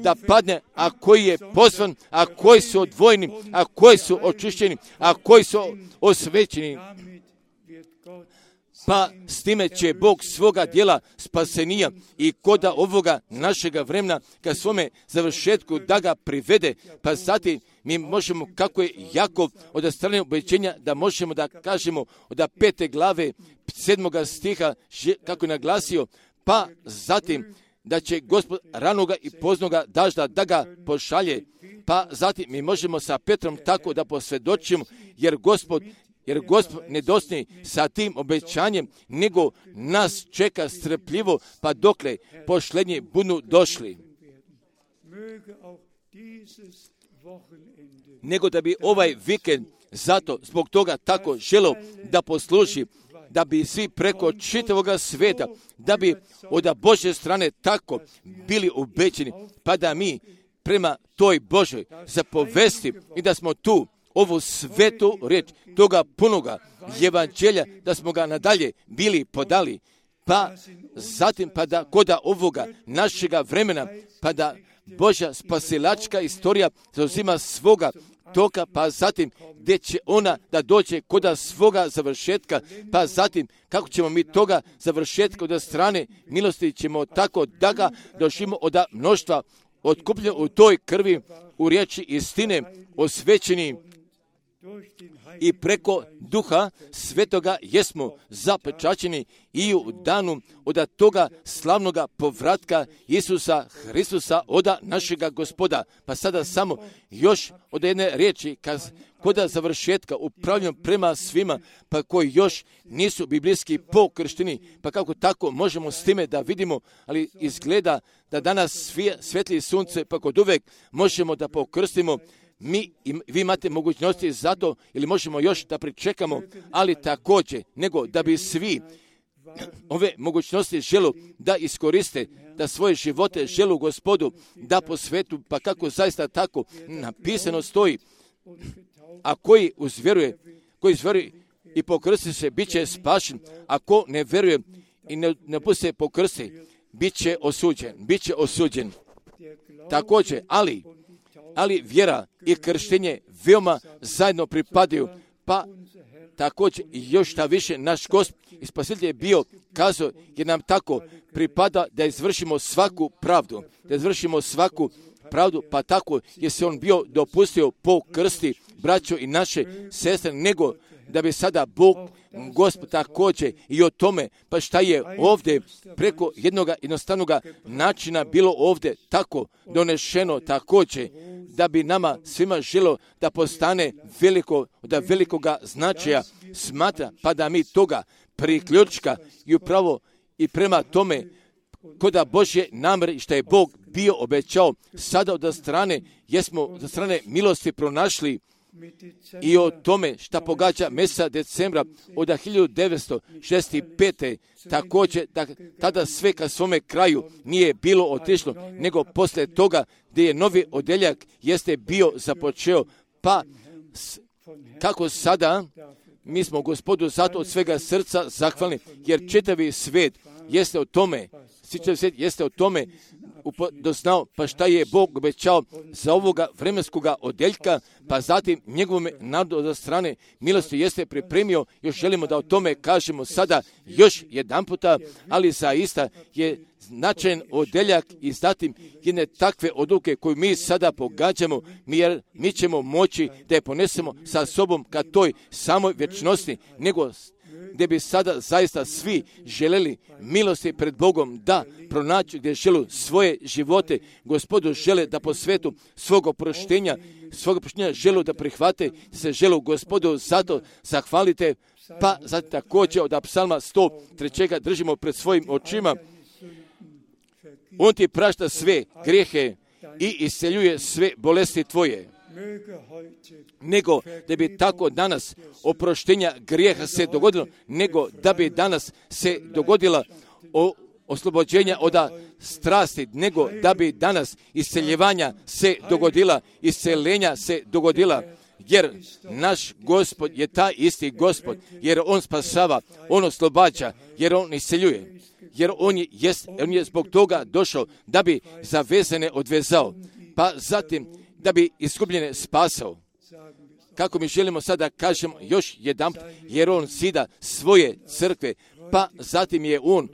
Speaker 2: da padne, a koji je pozvan, a koji su odvojeni, a koji su očišćeni, a koji su osvećeni. Pa s time će Bog svoga djela spasenija i koda ovoga našega vremena ka svome završetku da ga privede, pa zatim mi možemo, kako je Jakov od strane obećenja, da možemo da kažemo od 5. glave 7. stiha, kako je naglasio, pa zatim da će Gospod ranoga i poznoga dažda da ga pošalje, pa zatim mi možemo sa Petrom tako da posvjedočimo, jer Gospod ne dosni sa tim obećanjem, nego nas čeka strpljivo, pa dokle pošlednji budu došli. Nego da bi ovaj vikend zato zbog toga tako želo da posluži, da bi svi preko čitavoga sveta, da bi od Božje strane tako bili ubećeni, pa da mi prema toj Božoj zapovesti i da smo tu ovu svetu riječ toga punoga evanđelja, da smo ga nadalje bili podali, pa zatim pa da koda ovoga našega vremena, pa da Božja spasilačka istorija zauzima svoga toka, pa zatim gdje će ona da dođe koda svoga završetka, pa zatim kako ćemo mi toga završetka od strane milosti ćemo tako da ga došimo od mnoštva otkupljeno u toj krvi, u riječi istine, osvećeni i preko Duha Svetoga jesmo zapečaćeni i u danu od toga slavnoga povratka Isusa Hristusa od našega Gospoda. Pa sada samo još od jedne riječi koda završetka upravljam prema svima, pa koji još nisu biblijski pokršteni, pa kako tako možemo s time da vidimo, ali izgleda da danas svijetli sunce, pa kod uvek možemo da pokrstimo. Vi imate mogućnosti za to ili možemo još da pričekamo, ali također nego da bi svi ove mogućnosti želu da iskoriste, da svoje živote želu Gospodu da posvetu, pa kako zaista tako napisano stoji, a koji uzvjeruje i pokrsti se, bit će spašen, a ko ne vjeruje i ne bude se pokrsti, bit će osuđen. Također, ali vjera i krštenje veoma zajedno pripadaju, pa također još šta više naš Gospod i Spasitelj je bio kazao, jer nam tako pripada da izvršimo svaku pravdu, pa tako je se on bio dopustio po krsti braćo i naše sestre, nego da bi sada Bog, Gospod također i o tome, pa šta je ovdje preko jednog jednostavnog načina bilo ovdje tako donešeno također, da bi nama svima želo da postane da velikoga značaja smatra, pa da mi toga priključka i upravo i prema tome koda Božje namjere što je Bog bio obećao, sada od strane jesmo za strane milosti pronašli i o tome šta pogađa mjeseca decembra od 1965. također da tada sve ka svome kraju nije bilo otišlo, nego poslije toga gdje je novi odeljak jeste bio započeo, pa kako sada mi smo Gospodu zato od svega srca zahvalni, jer čitavi svijet jeste o tome doznao, pa šta je Bog obećao za ovoga vremenskoga odeljka, pa zatim njegovom narodu od strane milosti jeste pripremio. Još želimo da o tome kažemo sada još jedan puta, ali zaista je značajan odeljak i zatim jedne takve odluke koju mi sada pogađamo, jer mi ćemo moći da je ponesemo sa sobom ka toj samoj vječnosti, nego gdje bi sada zaista svi želeli milosti pred Bogom da pronaći gdje žele svoje živote. Gospodu žele da po svetu svog oproštenja žele da prihvate, se žele Gospodu zato zahvalite, pa zato također od psalma 103. držimo pred svojim očima. On ti prašta sve grijehe i isceljuje sve bolesti tvoje. Nego da bi tako danas oproštenja grijeha se dogodilo, nego da bi danas se dogodila oslobođenja od strasti, nego da bi danas isceljevanja se dogodila, isceljenja se dogodila, jer naš Gospod je taj isti Gospod, jer On spasava, On oslobađa, jer On isceljuje, jer on je zbog toga došao da bi zavezane odvezao, pa zatim da bi izgubljene spasao. Kako mi želimo sada kažemo još jedan, jer On zida svoje crkve, pa zatim je On,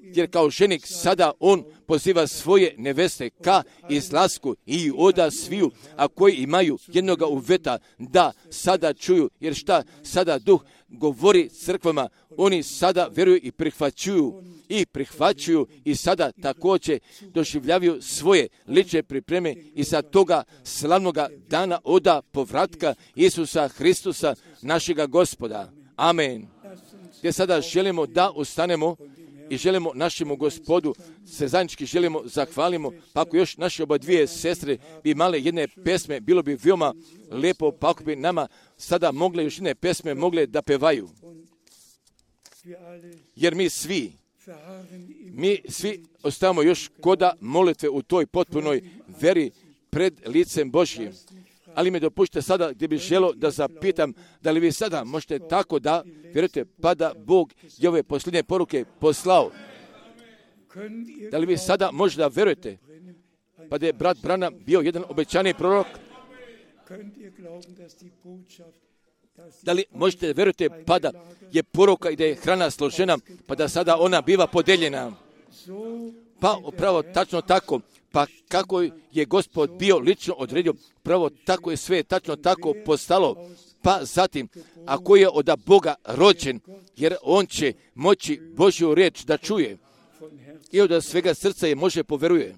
Speaker 2: jer kao ženik sada On poziva svoje neveste ka izlasku i oda sviju, a koji imaju jednoga uveta da sada čuju, jer šta sada Duh govori crkvama, oni sada vjeruju i prihvaćuju i sada također doživljavaju svoje lične pripreme i za toga slavnoga dana oda povratka Isusa Hristusa, našega Gospoda. Amen. Gdje sada želimo da ustanemo i želimo našemu Gospodu se zajednički želimo zahvalimo, pa ako još naše oba dvije sestre bi imale jedne pesme, bilo bi veoma lijepo, pa ako bi nama sada mogle još jedne pesme mogle da pevaju. Jer mi svi ostavamo još koda molitve u toj potpunoj veri pred licem Božjim. Ali mi dopušite sada gdje bih želio da zapitam, da li vi sada možete tako da vjerujete, pa da Bog je ove posljednje poruke poslao. Da li vi sada možete da vjerujete, pa da je brat Branham bio jedan obećani prorok? Da li možete vjerujete, pa da je poruka i da je hrana složena, pa da sada ona biva podeljena? Pa upravo tačno tako. Pa kako je Gospod bio lično odredio, pravo tako je sve tačno tako postalo. Pa zatim, ako je od Boga rođen, jer on će moći Božju riječ da čuje i od svega srca je može poveruje.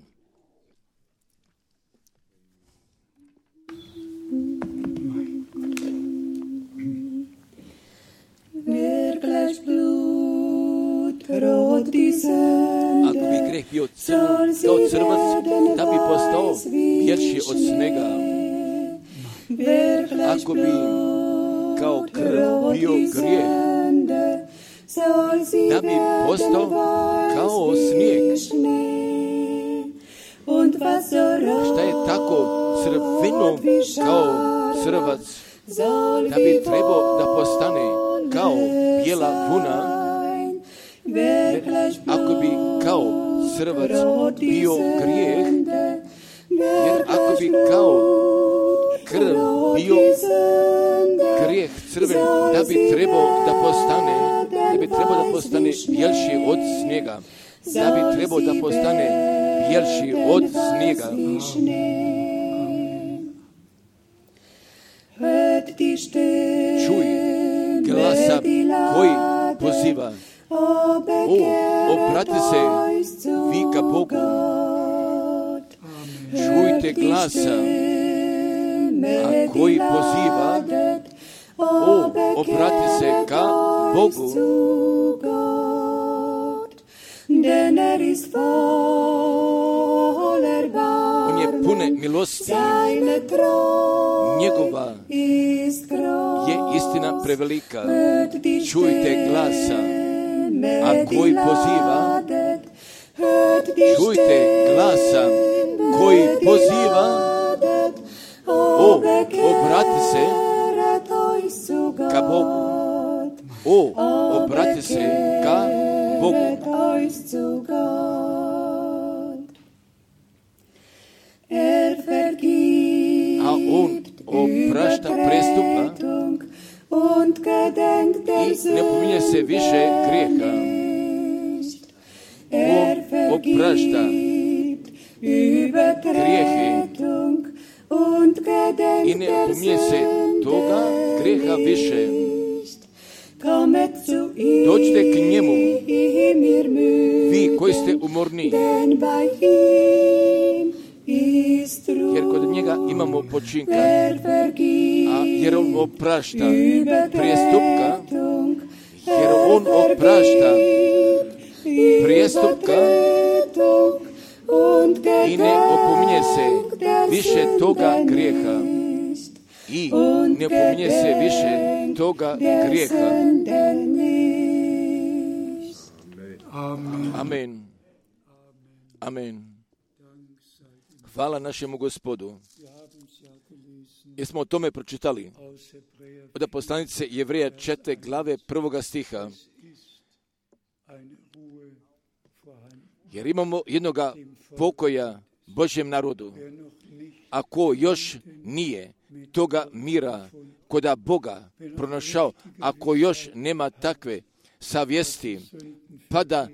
Speaker 2: Ako bi greh bio kao crvac, da bi postao bjelši od snega. Ako bi kao krv bio grijeh, da bi postao kao snijeg. Šta je tako crveno kao crvac, da bi trebao da postane kao bijela vuna. Ako bi kao crvac bio grijeh, jer ako bi kao krv bio grijeh crven, da bi trebao da postane bjelši od snijega, da bi trebao da postane bjelši od snijega. Čuj glasa koji poziva. Obrati se vi ka Bogu. Čujte glasa a koji poziva. Obrati se ka Bogu. On je pune milosti. Njegova je istina prevelika. Čujte glasa a koji poziva. Čujte glasa koji poziva. Obrati se ka Bogu. Obrati se ka Bogu. A on oprašta prestupa i ne pominje se više grijeha. On oprašta grijehe i ne pominje se toga grijeha više. Dođite k njemu, vi koji ste umorni, jer kod njega imamo počinka, jer on oprašta prijestupka, jer on oprašta prijestupka i ne opominje se više toga grijeha. I ne opominje se više toga grijeha. Amen. Amen. Hvala našemu Gospodu. Jer smo o tome pročitali od poslanice Jevreja 4. glave 1. stiha. Jer imamo jednoga pokoja Božjem narodu. Ako još nije toga mira koda Boga pronašao, ako još nema takve savjesti, pa da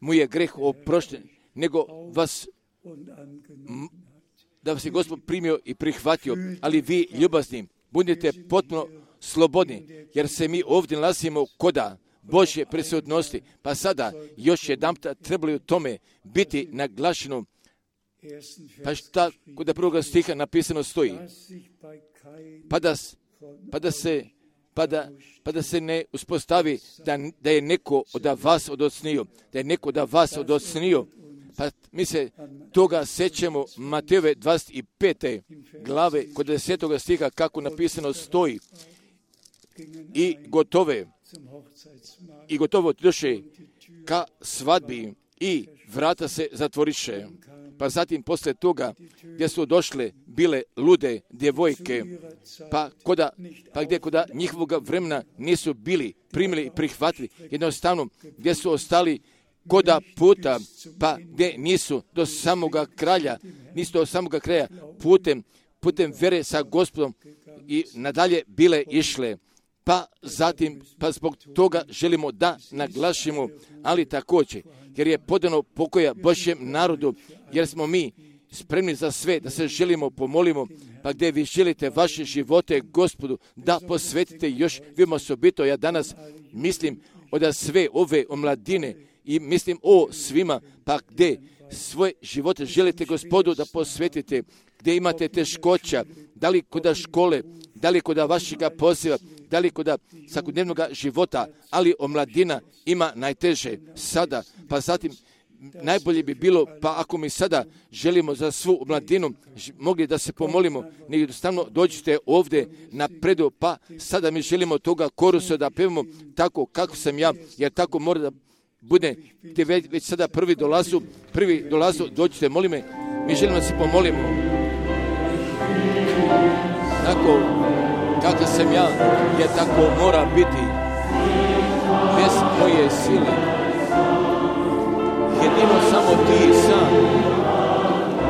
Speaker 2: mu je greh oprošten, nego da vas je Gospod primio i prihvatio, ali vi ljubazni, budite potpuno slobodni, jer se mi ovdje nalazimo koda Božje prisutnosti, pa sada još jedanput trebali u tome biti naglašeno. Pa šta kod prvog stiha napisano stoji? Pa da se ne uspostavi da je neko od vas odocnio, da je neko od vas odocnio. Pa mi se toga sećamo Matejove 25. glave kod 10. stiha kako napisano stoji. I gotovo došle ka svadbi i vrata se zatvoriše. Pa zatim posle toga gdje su došle bile lude djevojke, pa gdje koda njihovog vremena nisu bili primili i prihvatili, jednostavno gdje su ostali koda puta, pa gdje nisu do samoga kraja putem vere sa Gospodom i nadalje bile išle. Pa zbog toga želimo da naglašimo, ali također, jer je podano pokoja Božjem narodu, jer smo mi spremni za sve, da se želimo, pomolimo, pa gdje vi želite vaše živote Gospodu, da posvetite još veoma osobito. Ja danas mislim od sve ove omladine i mislim o svima, pa gdje svoje živote želite Gospodu da posvetite, gdje imate teškoća, da li kod škole, da li kod vašega poziva, da li kod svakodnevnog života, ali omladina ima najteže sada, pa zatim najbolje bi bilo, pa ako mi sada želimo za svu omladinu, mogli da se pomolimo, nego jednostavno dođite ovdje na predu, pa sada mi želimo toga korusa da pevamo tako kako sam ja, jer tako mora da bude, gdje već sada prvi dolazu, dođite, molim me, mi želimo da se pomolimo. Tako kako sam ja, jer tako mora biti, bez moje sile. Jedino samo ti sam,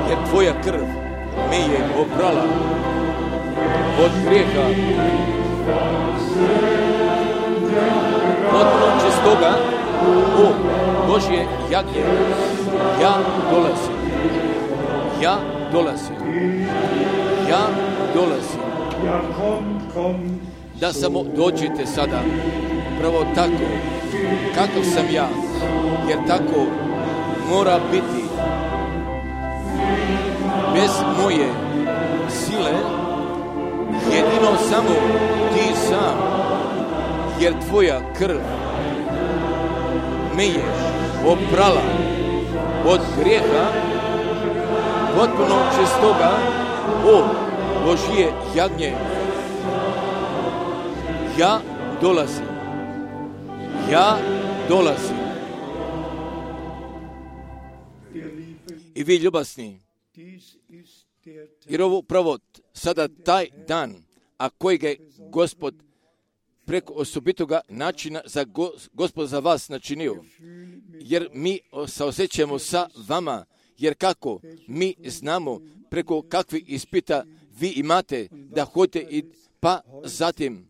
Speaker 2: jer tvoja krv me je oprala od grijeha. Potpuno čistoga, o Božje jagnje, ja dolazim.
Speaker 1: da samo dođite sada, pravo tako, kakav sam ja, jer tako mora biti. Bez moje sile, jedino samo ti sam, jer tvoja krv me je oprala od grijeha, potpuno čistoga, o Božje jagnje. Ja dolazim. I vi ljubasni, jer ovo upravo sada taj dan, a kojeg je Gospod preko osobitoga načina Gospod za vas načinio, jer mi se osjećamo sa vama, jer kako mi znamo preko kakvih ispita vi imate da hodite i pa zatim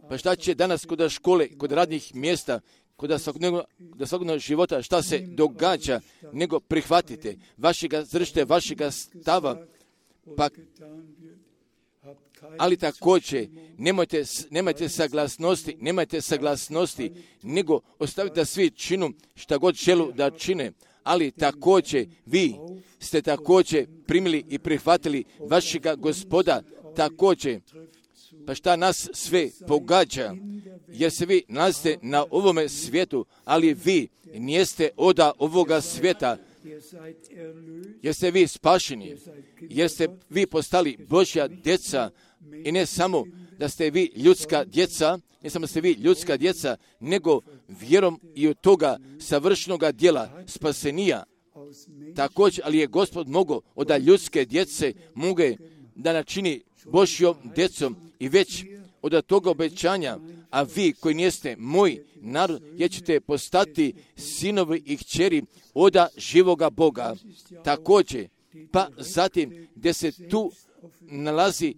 Speaker 1: pa šta će danas kod škole, kod radnih mjesta, kod svakodnevnog života, šta se događa, nego prihvatite vašega zršte, vašega stava, pa ali također nemajte saglasnosti, nego ostavite da svi činu šta god želu da čine, ali također vi ste također primili i prihvatili vašega Gospoda također. Pa šta nas sve pogađa, jer se vi nalazite na ovome svijetu, ali vi nijeste od ovoga svijeta, jer ste vi spašeni, jer ste vi postali Božja djeca i ne samo da ste vi ljudska djeca, nego vjerom i od toga savršenoga djela spasenija. Također, ali je Gospod mogao od ljudske djece da načini Božjom djecom i već od toga obećanja, a vi koji niste moj narod, jer ćete postati sinovi i kćeri od živoga Boga. Također, pa zatim gdje se tu nalazi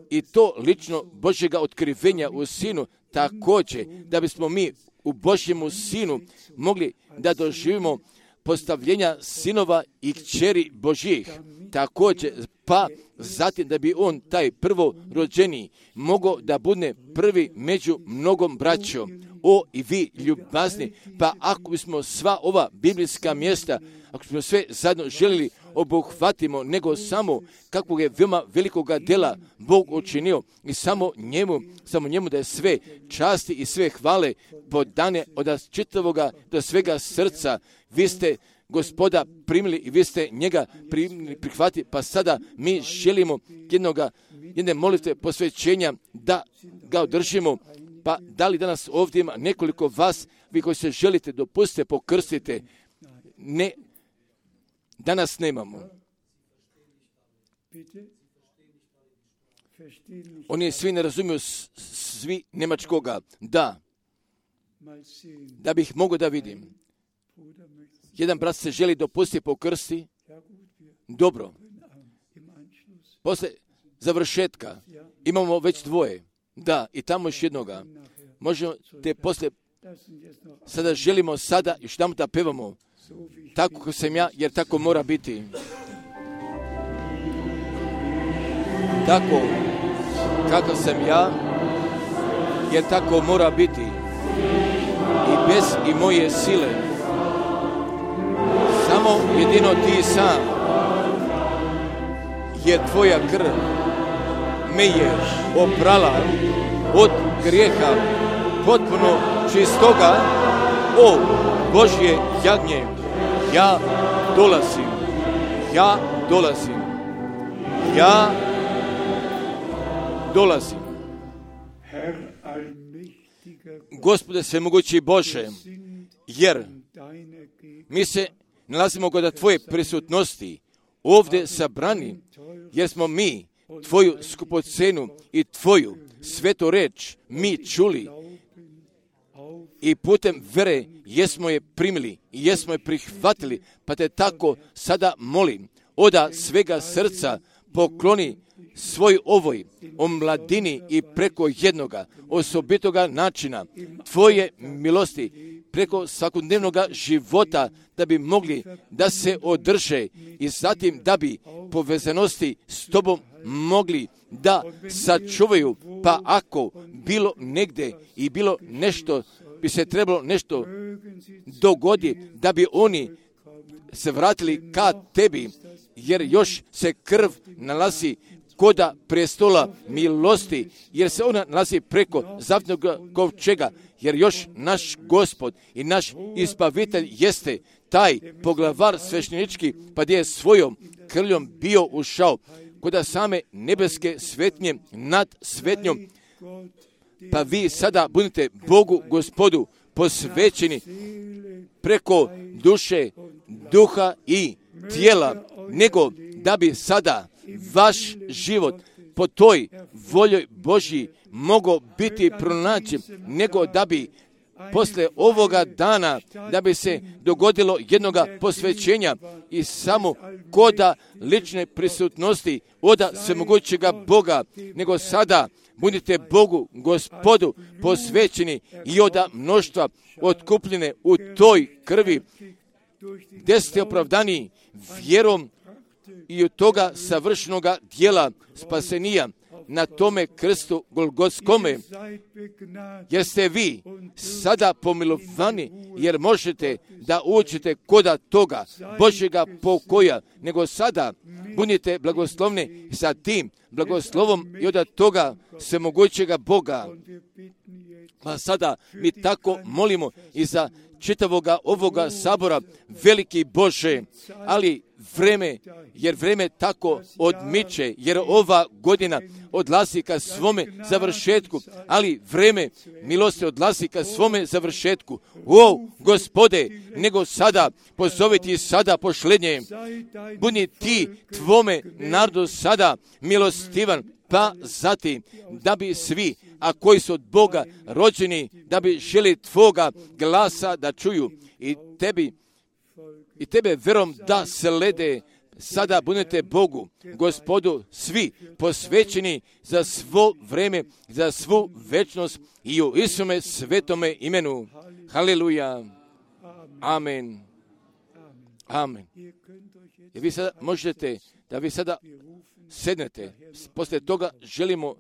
Speaker 1: i to lično Božjega otkrivenja u Sinu, također da bismo mi u Božjemu Sinu mogli da doživimo postavljenja sinova i kćeri Božjih. Također, pa zatim da bi on, taj prvorođeni, mogao da bude prvi među mnogom braćom. O, i vi ljubazni, pa ako bismo sva ova biblijska mjesta, ako smo sve zajedno želili obuhvatimo, nego samo kakvog je veoma velikoga dela Bog učinio i samo njemu da je sve časti i sve hvale podane od čitavoga do svega srca. Vi ste Gospoda primili i vi ste njega prihvatili, pa sada mi želimo jedne molitve posvećenja da ga održimo. Pa da li danas ovdje ima nekoliko vas, vi koji se želite dopustite, pokrstite? Ne, danas nemamo. Oni svi ne razumiju, svi njemačkoga. Da bih mogao da vidim. Jedan brat se želi dopustiti pokrsti. Dobro. Poslije završetka imamo već dvoje. Da, i tamo još jednoga. Možemo te poslije, sada želimo sada još tamo da pevamo. Tako kako sam ja, jer tako mora biti. Tako kako sam ja, jer tako mora biti. I bez i moje sile. Samo jedino ti sam, jer tvoja krv me je oprala od grijeha potpuno čistoga. O Božje jagnje, ja dolazim. Gospode svemogući Bože, jer mi se nalazimo kod tvoje prisutnosti ovdje sabrani, jer smo mi tvoju skupocenu i tvoju svetu reč mi čuli i putem vere jesmo je primili i jesmo je prihvatili, pa te tako sada molim, oda svega srca pokloni svoj ovoj omladini i preko jednoga osobitoga načina tvoje milosti
Speaker 2: preko svakodnevnog života, da bi mogli da se održe i zatim da bi povezanosti s tobom mogli da sačuvaju. Pa ako bilo negde i bilo nešto, bi se trebalo nešto dogodi, da bi oni se vratili ka tebi, jer još se krv nalazi koda prestola milosti, jer se ona nalazi preko zavetnog kovčega, jer još naš Gospod i naš Izbavitelj jeste taj poglavar sveštenički, pa gdje je svojom krljom bio ušao koda same nebeske svetnje nad svetnjom. Pa vi sada budete Bogu Gospodu posvećeni preko duše, duha i tijela, nego da bi sada vaš život po toj voljoj Božji mogao biti pronađen, nego da bi posle ovoga dana, da bi se dogodilo jednoga posvećenja i samo koda lične prisutnosti oda svemogućega Boga, nego sada budite Bogu Gospodu posvećeni i oda mnoštva otkupljene u toj krvi, gdje ste opravdani vjerom i od toga savršenoga dijela spasenija na tome krstu Golgotskome, jer ste vi sada pomilovani, jer možete da uđete koda toga Božjega pokoja, nego sada budite blagoslovni sa tim blagoslovom i od toga svemogućega Boga. Pa sada mi tako molimo i za čitavoga ovoga sabora, veliki Bože, ali vreme tako odmiče, jer ova godina odlazi ka svome završetku, ali vreme milosti odlazi ka svome završetku. O, Gospode, nego sada pozoviti sada pošlednje, budi ti tvome narodu sada milostivan, pa zatim da bi svi, a koji su od Boga rođeni, da bi želi tvoga glasa da čuju i tebe verom da slede. Sada budete Bogu, Gospodu, svi posvećeni za svo vreme, za svu večnost i u Isume svetome imenu. Haleluja. Amen. Amen. I vi sada možete da vi sada sednete. Poslije toga želimo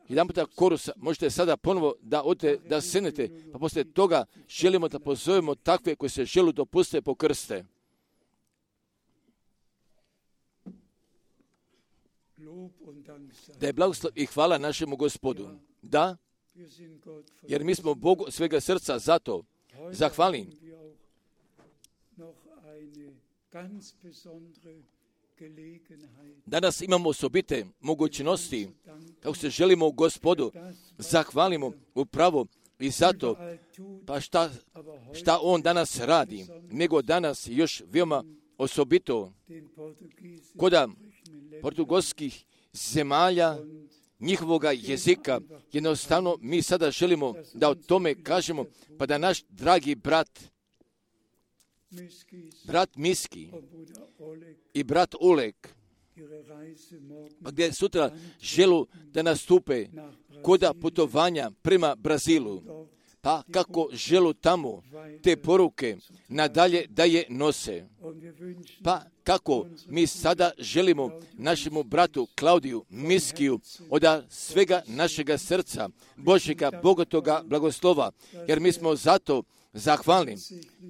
Speaker 2: jedan puta korusa, možete sada ponovo da odete da sednete, pa poslije toga želimo da pozovemo takve koji se žele dopustiti po krste. Da je blagoslov i hvala našemu Gospodu. Da, jer mi smo Bogu svega srca zato zahvalim. Danas imamo osobite mogućnosti, kako se želimo Gospodu zahvalimo upravo i zato, pa šta On danas radi, nego danas još veoma osobito koda portugalskih zemalja, njihovoga jezika, jednostavno mi sada želimo da o tome kažemo, pa da naš dragi brat Miski i brat Oleg, pa gdje sutra želu da nastupe koda putovanja prema Brazilu, pa kako želu tamo te poruke nadalje da je nose. Pa kako mi sada želimo našemu bratu Klaudiju Miskiju od svega našega srca Božjega bogatoga blagoslova, jer mi smo zato zahvalni,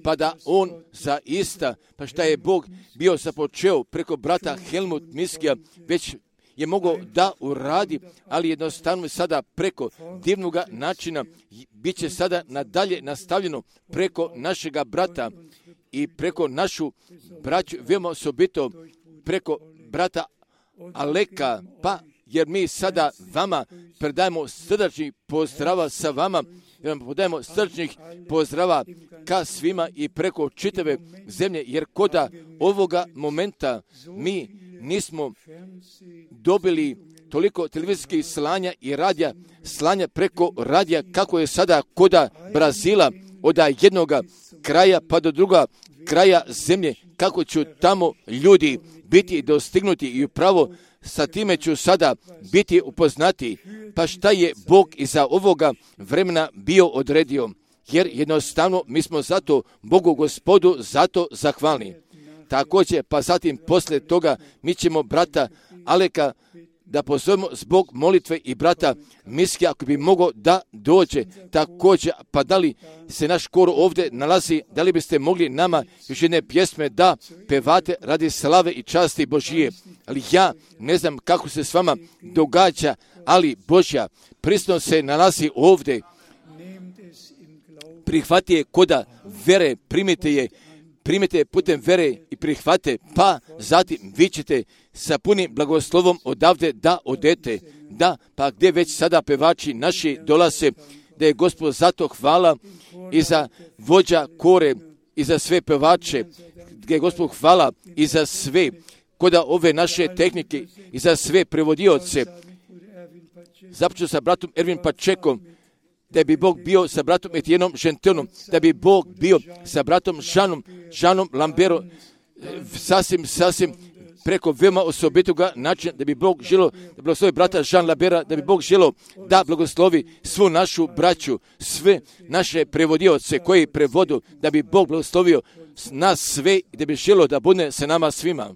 Speaker 2: pa da on zaista, pa šta je Bog bio započeo preko brata Helmut Miskija, već je mogao da uradi, ali jednostavno sada preko divnog načina bit će sada nadalje nastavljeno preko našega brata i preko našu braću, veoma osobito preko brata Aleka, pa jer mi sada vama predajemo srdačni pozdrava sa vama, jer vam podajemo srdačnih pozdrava ka svima i preko čitave zemlje, jer koda ovoga momenta mi nismo dobili toliko televizijskih slanja i radija, slanja preko radija kako je sada koda Brazila, od jednoga kraja pa do druga kraja zemlje, kako ću tamo ljudi biti dostignuti i upravo sa time ću sada biti upoznati, pa šta je Bog iza ovoga vremena bio odredio,
Speaker 1: jer jednostavno mi smo zato Bogu Gospodu zato zahvalni. Također, pa zatim poslije toga mi ćemo brata Aleka da pozovemo zbog molitve i brata Miski, ako bi mogao da dođe također, pa da li se naš kor ovdje nalazi, da li biste mogli nama još jedne pjesme da pevate radi slave i časti Božije. Ali ja ne znam kako se s vama događa, ali Božja prisutnost se nalazi ovdje. Prihvati je koda vere, primite je putem vere i prihvate, pa zatim vi ćete sa punim blagoslovom odavde da odete. Da, pa gdje već sada pevači naši dolaze, da je Gospod zato hvala i za vođa kore i za sve pevače, gdje je Gospod hvala i za sve, koda ove naše tehnike i za sve prevodioce. Započeo sa bratom Ervin Pačekom, da bi Bog bio sa bratom Etijenom Žentonom, da bi Bog bio sa bratom Žanom Lamberom, sasvim preko veoma osobitoga načina, da bi Bog želio da blagoslovi brata Žan Lambera, da bi Bog želio da blagoslovi svu našu braću, sve naše prevodioce koji prevodu, da bi Bog blagoslovio nas sve i da bi želio da bude sa nama svima.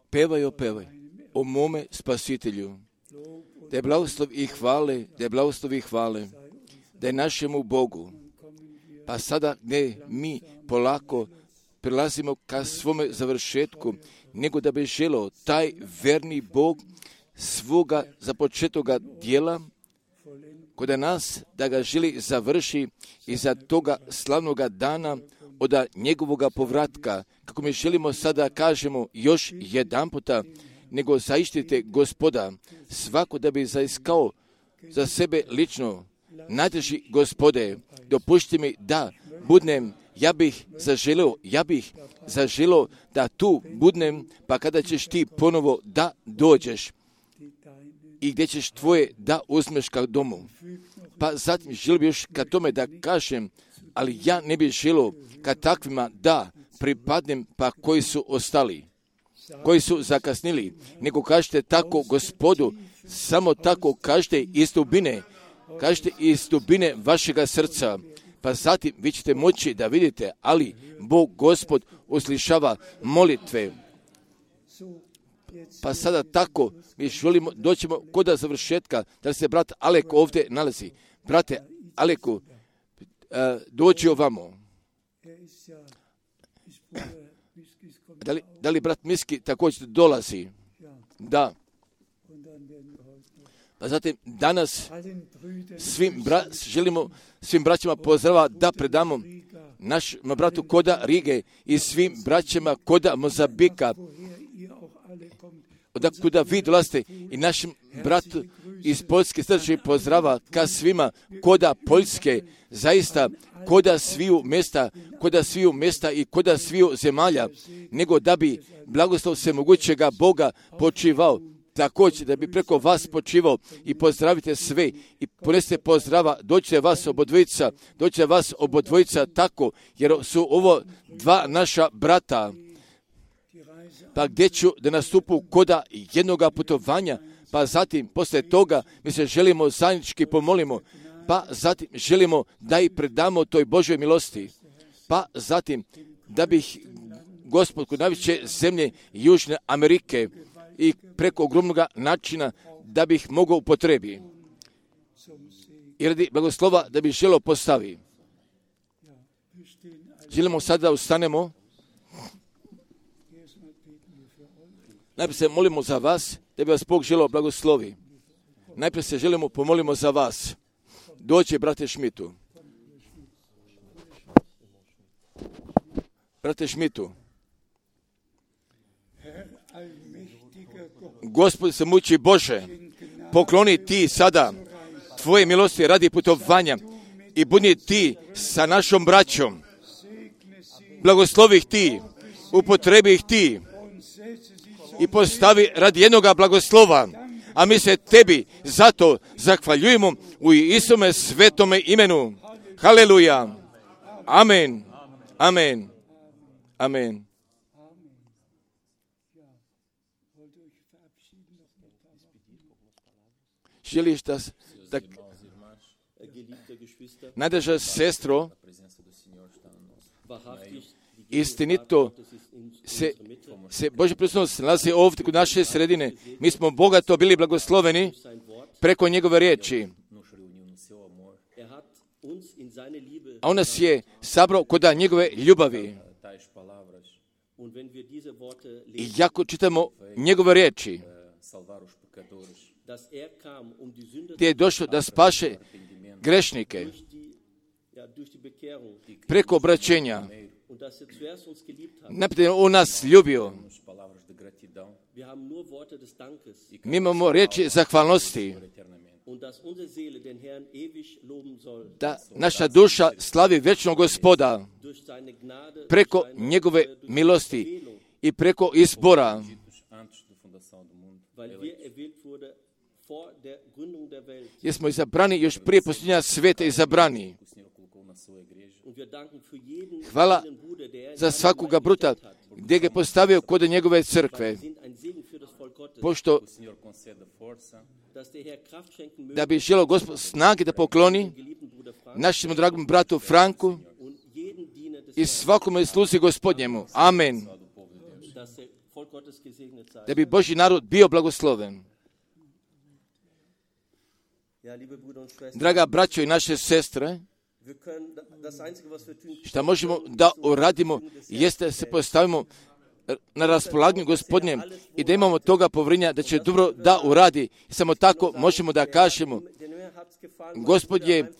Speaker 1: pevaj o mome spasitelju. Da je blagoslov i hvale, da je našemu Bogu. Pa sada gdje mi polako prilazimo ka svome završetku, nego da bi želio taj verni Bog svoga započetoga dijela kod nas, da ga želi završi iza toga slavnoga dana od njegovoga povratka. Kako mi želimo sada kažemo još jedan puta, nego zaištite Gospoda, svako da bi zaiskao za sebe lično. Najdraži Gospode, dopušti mi da budnem, ja bih zaželio da tu budnem, pa kada ćeš ti ponovo da dođeš i gdje ćeš tvoje da uzmeš ka domu. Pa zatim želio bih još ka tome da kažem, ali ja ne bih želio ka takvima da pripadnem, pa koji su ostali, koji su zakasnili, nego kažete tako Gospodu, samo tako kažete iz dubine vašega srca, pa zatim vi ćete moći da vidite, ali Bog Gospod uslišava molitve. Pa sada tako mi želimo doćemo kod završetka, da se brat Alek ovdje nalazi. Brate Aleku, dođi ovamo. Da li brat Miski također dolazi? Da. Pa zatim danas želimo svim braćama pozdrava da predamo našem bratu Koda Rige i svim braćama Koda Mozambika, kuda vi dolazite, i našem bratu iz Poljske srdačni pozdrava ka svima Koda Poljske, zaista koda sviju mjesta i koda sviju zemalja, nego da bi blagoslov svemogućega Boga počivao, također da bi preko vas počivao, i pozdravite sve i ponesite pozdrava, dođite vas obodvojica tako, jer su ovo dva naša brata. Pa gdje ću da nastupu koda jednoga putovanja, pa zatim poslije toga mi se želimo zajednički pomolimo, pa zatim želimo da i predamo toj Božoj milosti, pa zatim da bih Gospod kod najveće zemlje Južne Amerike i preko ogromnog načina da bih mogao upotrebi i radi blagoslova da bih želio postavi. Želimo sada da ustanemo. Najprije se molimo za vas, da bi vas Bog želio blagoslovi. Najprije se želimo pomolimo za vas. Dođe, brate Šmitu. Brate Šmitu. Gospod se muči Bože, pokloni ti sada tvoje milosti radi putovanja i budi ti sa našom braćom. Blagoslovi ih ti, upotrebi ih ti i postavi radi jednoga blagoslova. A mi se tebi zato zahvaljujemo u Isume svetome imenu. Haleluja. Amen. Amen. Amen. Želiš da najdraža sestro, istinito se Božja prisutnost nalazi ovdje kod naše sredine. Mi smo bogato bili blagosloveni preko njegove riječi. A on nas je sabrao kod njegove ljubavi. I jako čitamo njegove riječi, gdje je došlo da spaše grešnike preko obraćenja. Najprije on nas ljubio. Mi imamo riječi zahvalnosti, da naša duša slavi vječnog Gospoda preko njegove milosti i preko izbora. Jer smo izabrani još prije posljednja svijeta izabrani. Hvala za svakoga bruta gdje ga je postavio kod njegove crkve. Pošto da bi želio Gospod snage da pokloni našem dragom bratu Franku i svakome sluzi Gospodnjemu. Amen. da bi Božji narod bio blagosloven. Draga braćo i naše sestre, šta možemo da uradimo jeste da se postavimo na raspolaganju Gospodnjem i da imamo toga povjerenja da će dobro da uradi. Samo tako možemo da kažemo, Gospod je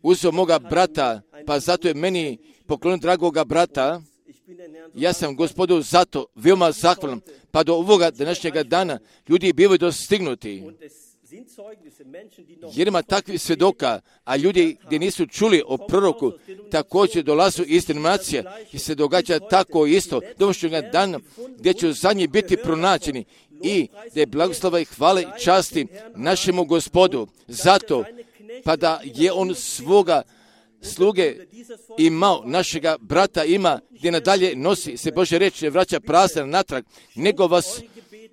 Speaker 1: uzeo moga brata, pa zato je meni poklonio dragoga brata. Ja sam Gospodu zato veoma zahvalan, pa do ovoga današnjega dana ljudi bivaju dostignuti. Jer ima takvih svjedoka, a ljudi gdje nisu čuli o proroku, također dolazu iz denominacija i se događa tako isto donošćega dana gdje će zadnji biti pronađeni i da je blagoslova i hvale i časti našemu Gospodu. Zato, pa da je on svoga sluge imao, našega brata ima, gdje nadalje nosi se Božja riječ, ne vraća prazna natrag, nego vas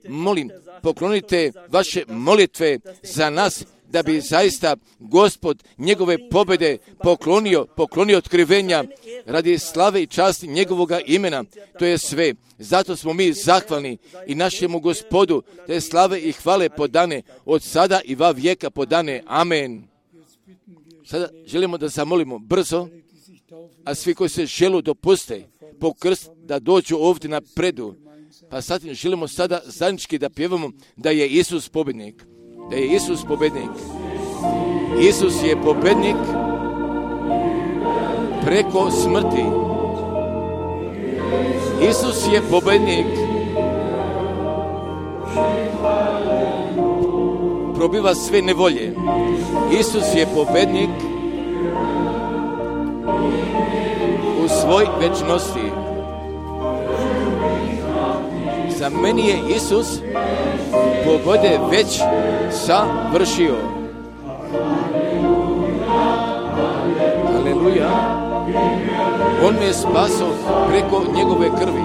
Speaker 1: molim, poklonite vaše molitve za nas, da bi zaista Gospod njegove pobjede poklonio otkrivenja radi slave i časti njegovoga imena. To je sve. Zato smo mi zahvalni i našemu Gospodu, da je slave i hvale podane od sada i va vijeka podane. Amen. Sada želimo da zamolimo brzo, a svi koji se želu dopuste po krst da dođu ovdje na predu. Pa sad želimo sada zajednički da pjevamo da je Isus pobjednik. Da je Isus pobjednik. Isus je pobjednik preko smrti. Isus je pobjednik. Probiva sve nevolje. Isus je pobjednik u svoj večnosti. Za meni je Isus pobjede već savršio. Aleluja. On me je spasao preko njegove krvi.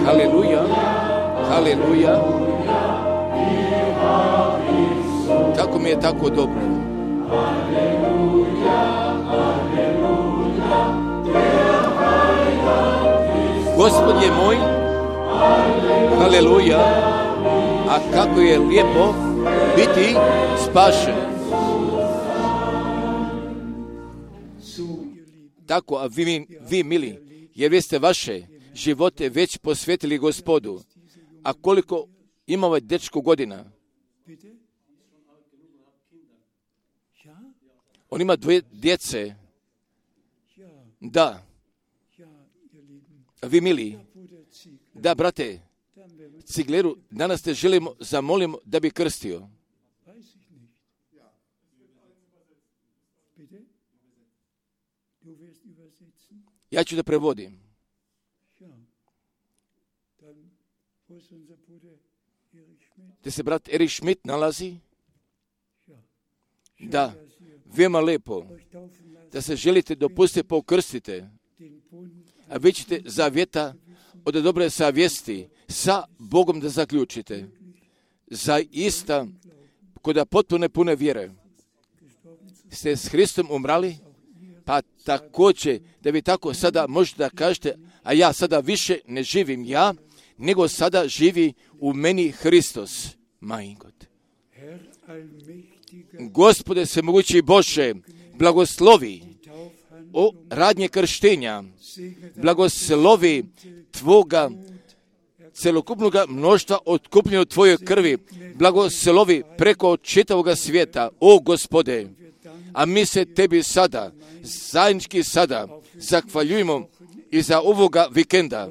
Speaker 1: Aleluja. Aleluja. Kako mi je tako dobro. Gospod je moj. Aleluja. A kako je lijepo biti spašen. Tako, a vi mili, jer vi ste vaše živote već posvetili Gospodu. A koliko ima ovaj dečko godina? On ima 2 djece. Da. A vi mili, da, brate, Cigleru, danas te zamolimo da bi krstio. Ja ću da prevodim. Gdje se brat Erich Schmidt nalazi? Da, veoma lepo. Da se želite dopustiti, pokrstite. A vi ćete zavjeta od dobre savjesti sa Bogom da zaključite. Zaista, kod potpuno pune vjere, ste s Hristom umrali, pa također da vi tako sada možete da kažete, a ja sada više ne živim ja, nego sada živi u meni Hristos. Mein Gott. Gospode svemogući Bože, blagoslovi o radnje krštenja, blagoslovi Tvoga celokupnog mnoštva otkupljeno u Tvojoj krvi, blagoslovi preko čitavoga svijeta, o Gospode. A mi se Tebi sada, zajednički sada, zahvaljujemo i za ovoga vikenda.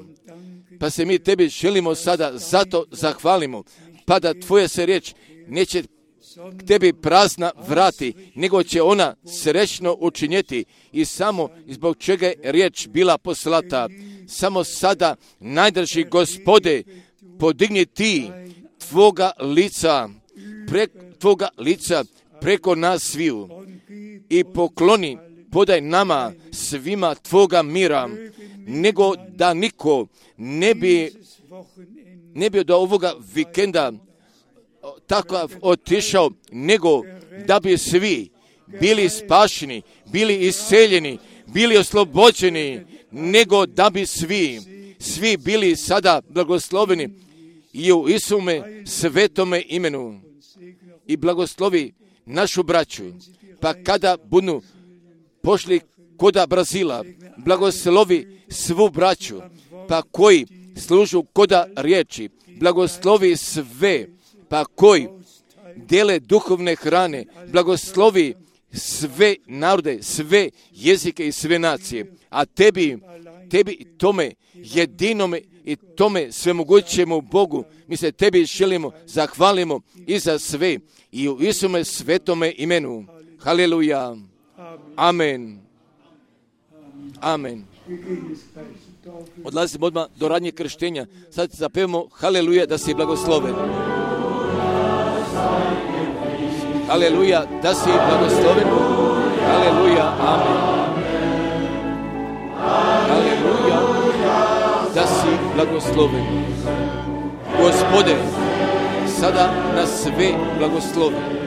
Speaker 1: Pa se mi Tebi želimo sada zato zahvalimo, pa da Tvoja se riječ neće k Tebi prazna vrati, nego će ona srećno učinjeti i samo zbog čega je riječ bila poslata. Samo sada, najdrži Gospode, podigni Ti Tvoga lica preko nas sviju i pokloni, podaj nama svima Tvoga mira, nego da niko ne bi do ovoga vikenda tako otišao, nego da bi svi bili spašeni, bili isceljeni, bili oslobođeni, nego da bi svi svi bili sada blagosloveni i u Isume svetome imenu. I blagoslovi našu braću, pa kada budu pošli koda Brazila, blagoslovi svu braću, pa koji služu koda riječi, blagoslovi sve, pa koji dele duhovne hrane, blagoslovi sve narode, sve jezike i sve nacije, a tebi tome jedinome i tome svemogućemu Bogu, mi se tebi želimo, zahvalimo i za sve i u Isume svetome imenu. Haleluja. Amen. Amen. Odlazimo odmah do radnje krštenja. Sad zapevamo haleluja da si blagosloven. Haleluja da si blagosloven. Haleluja. Amen. Haleluja da si blagosloven. Gospode, sada nas sve blagoslovi.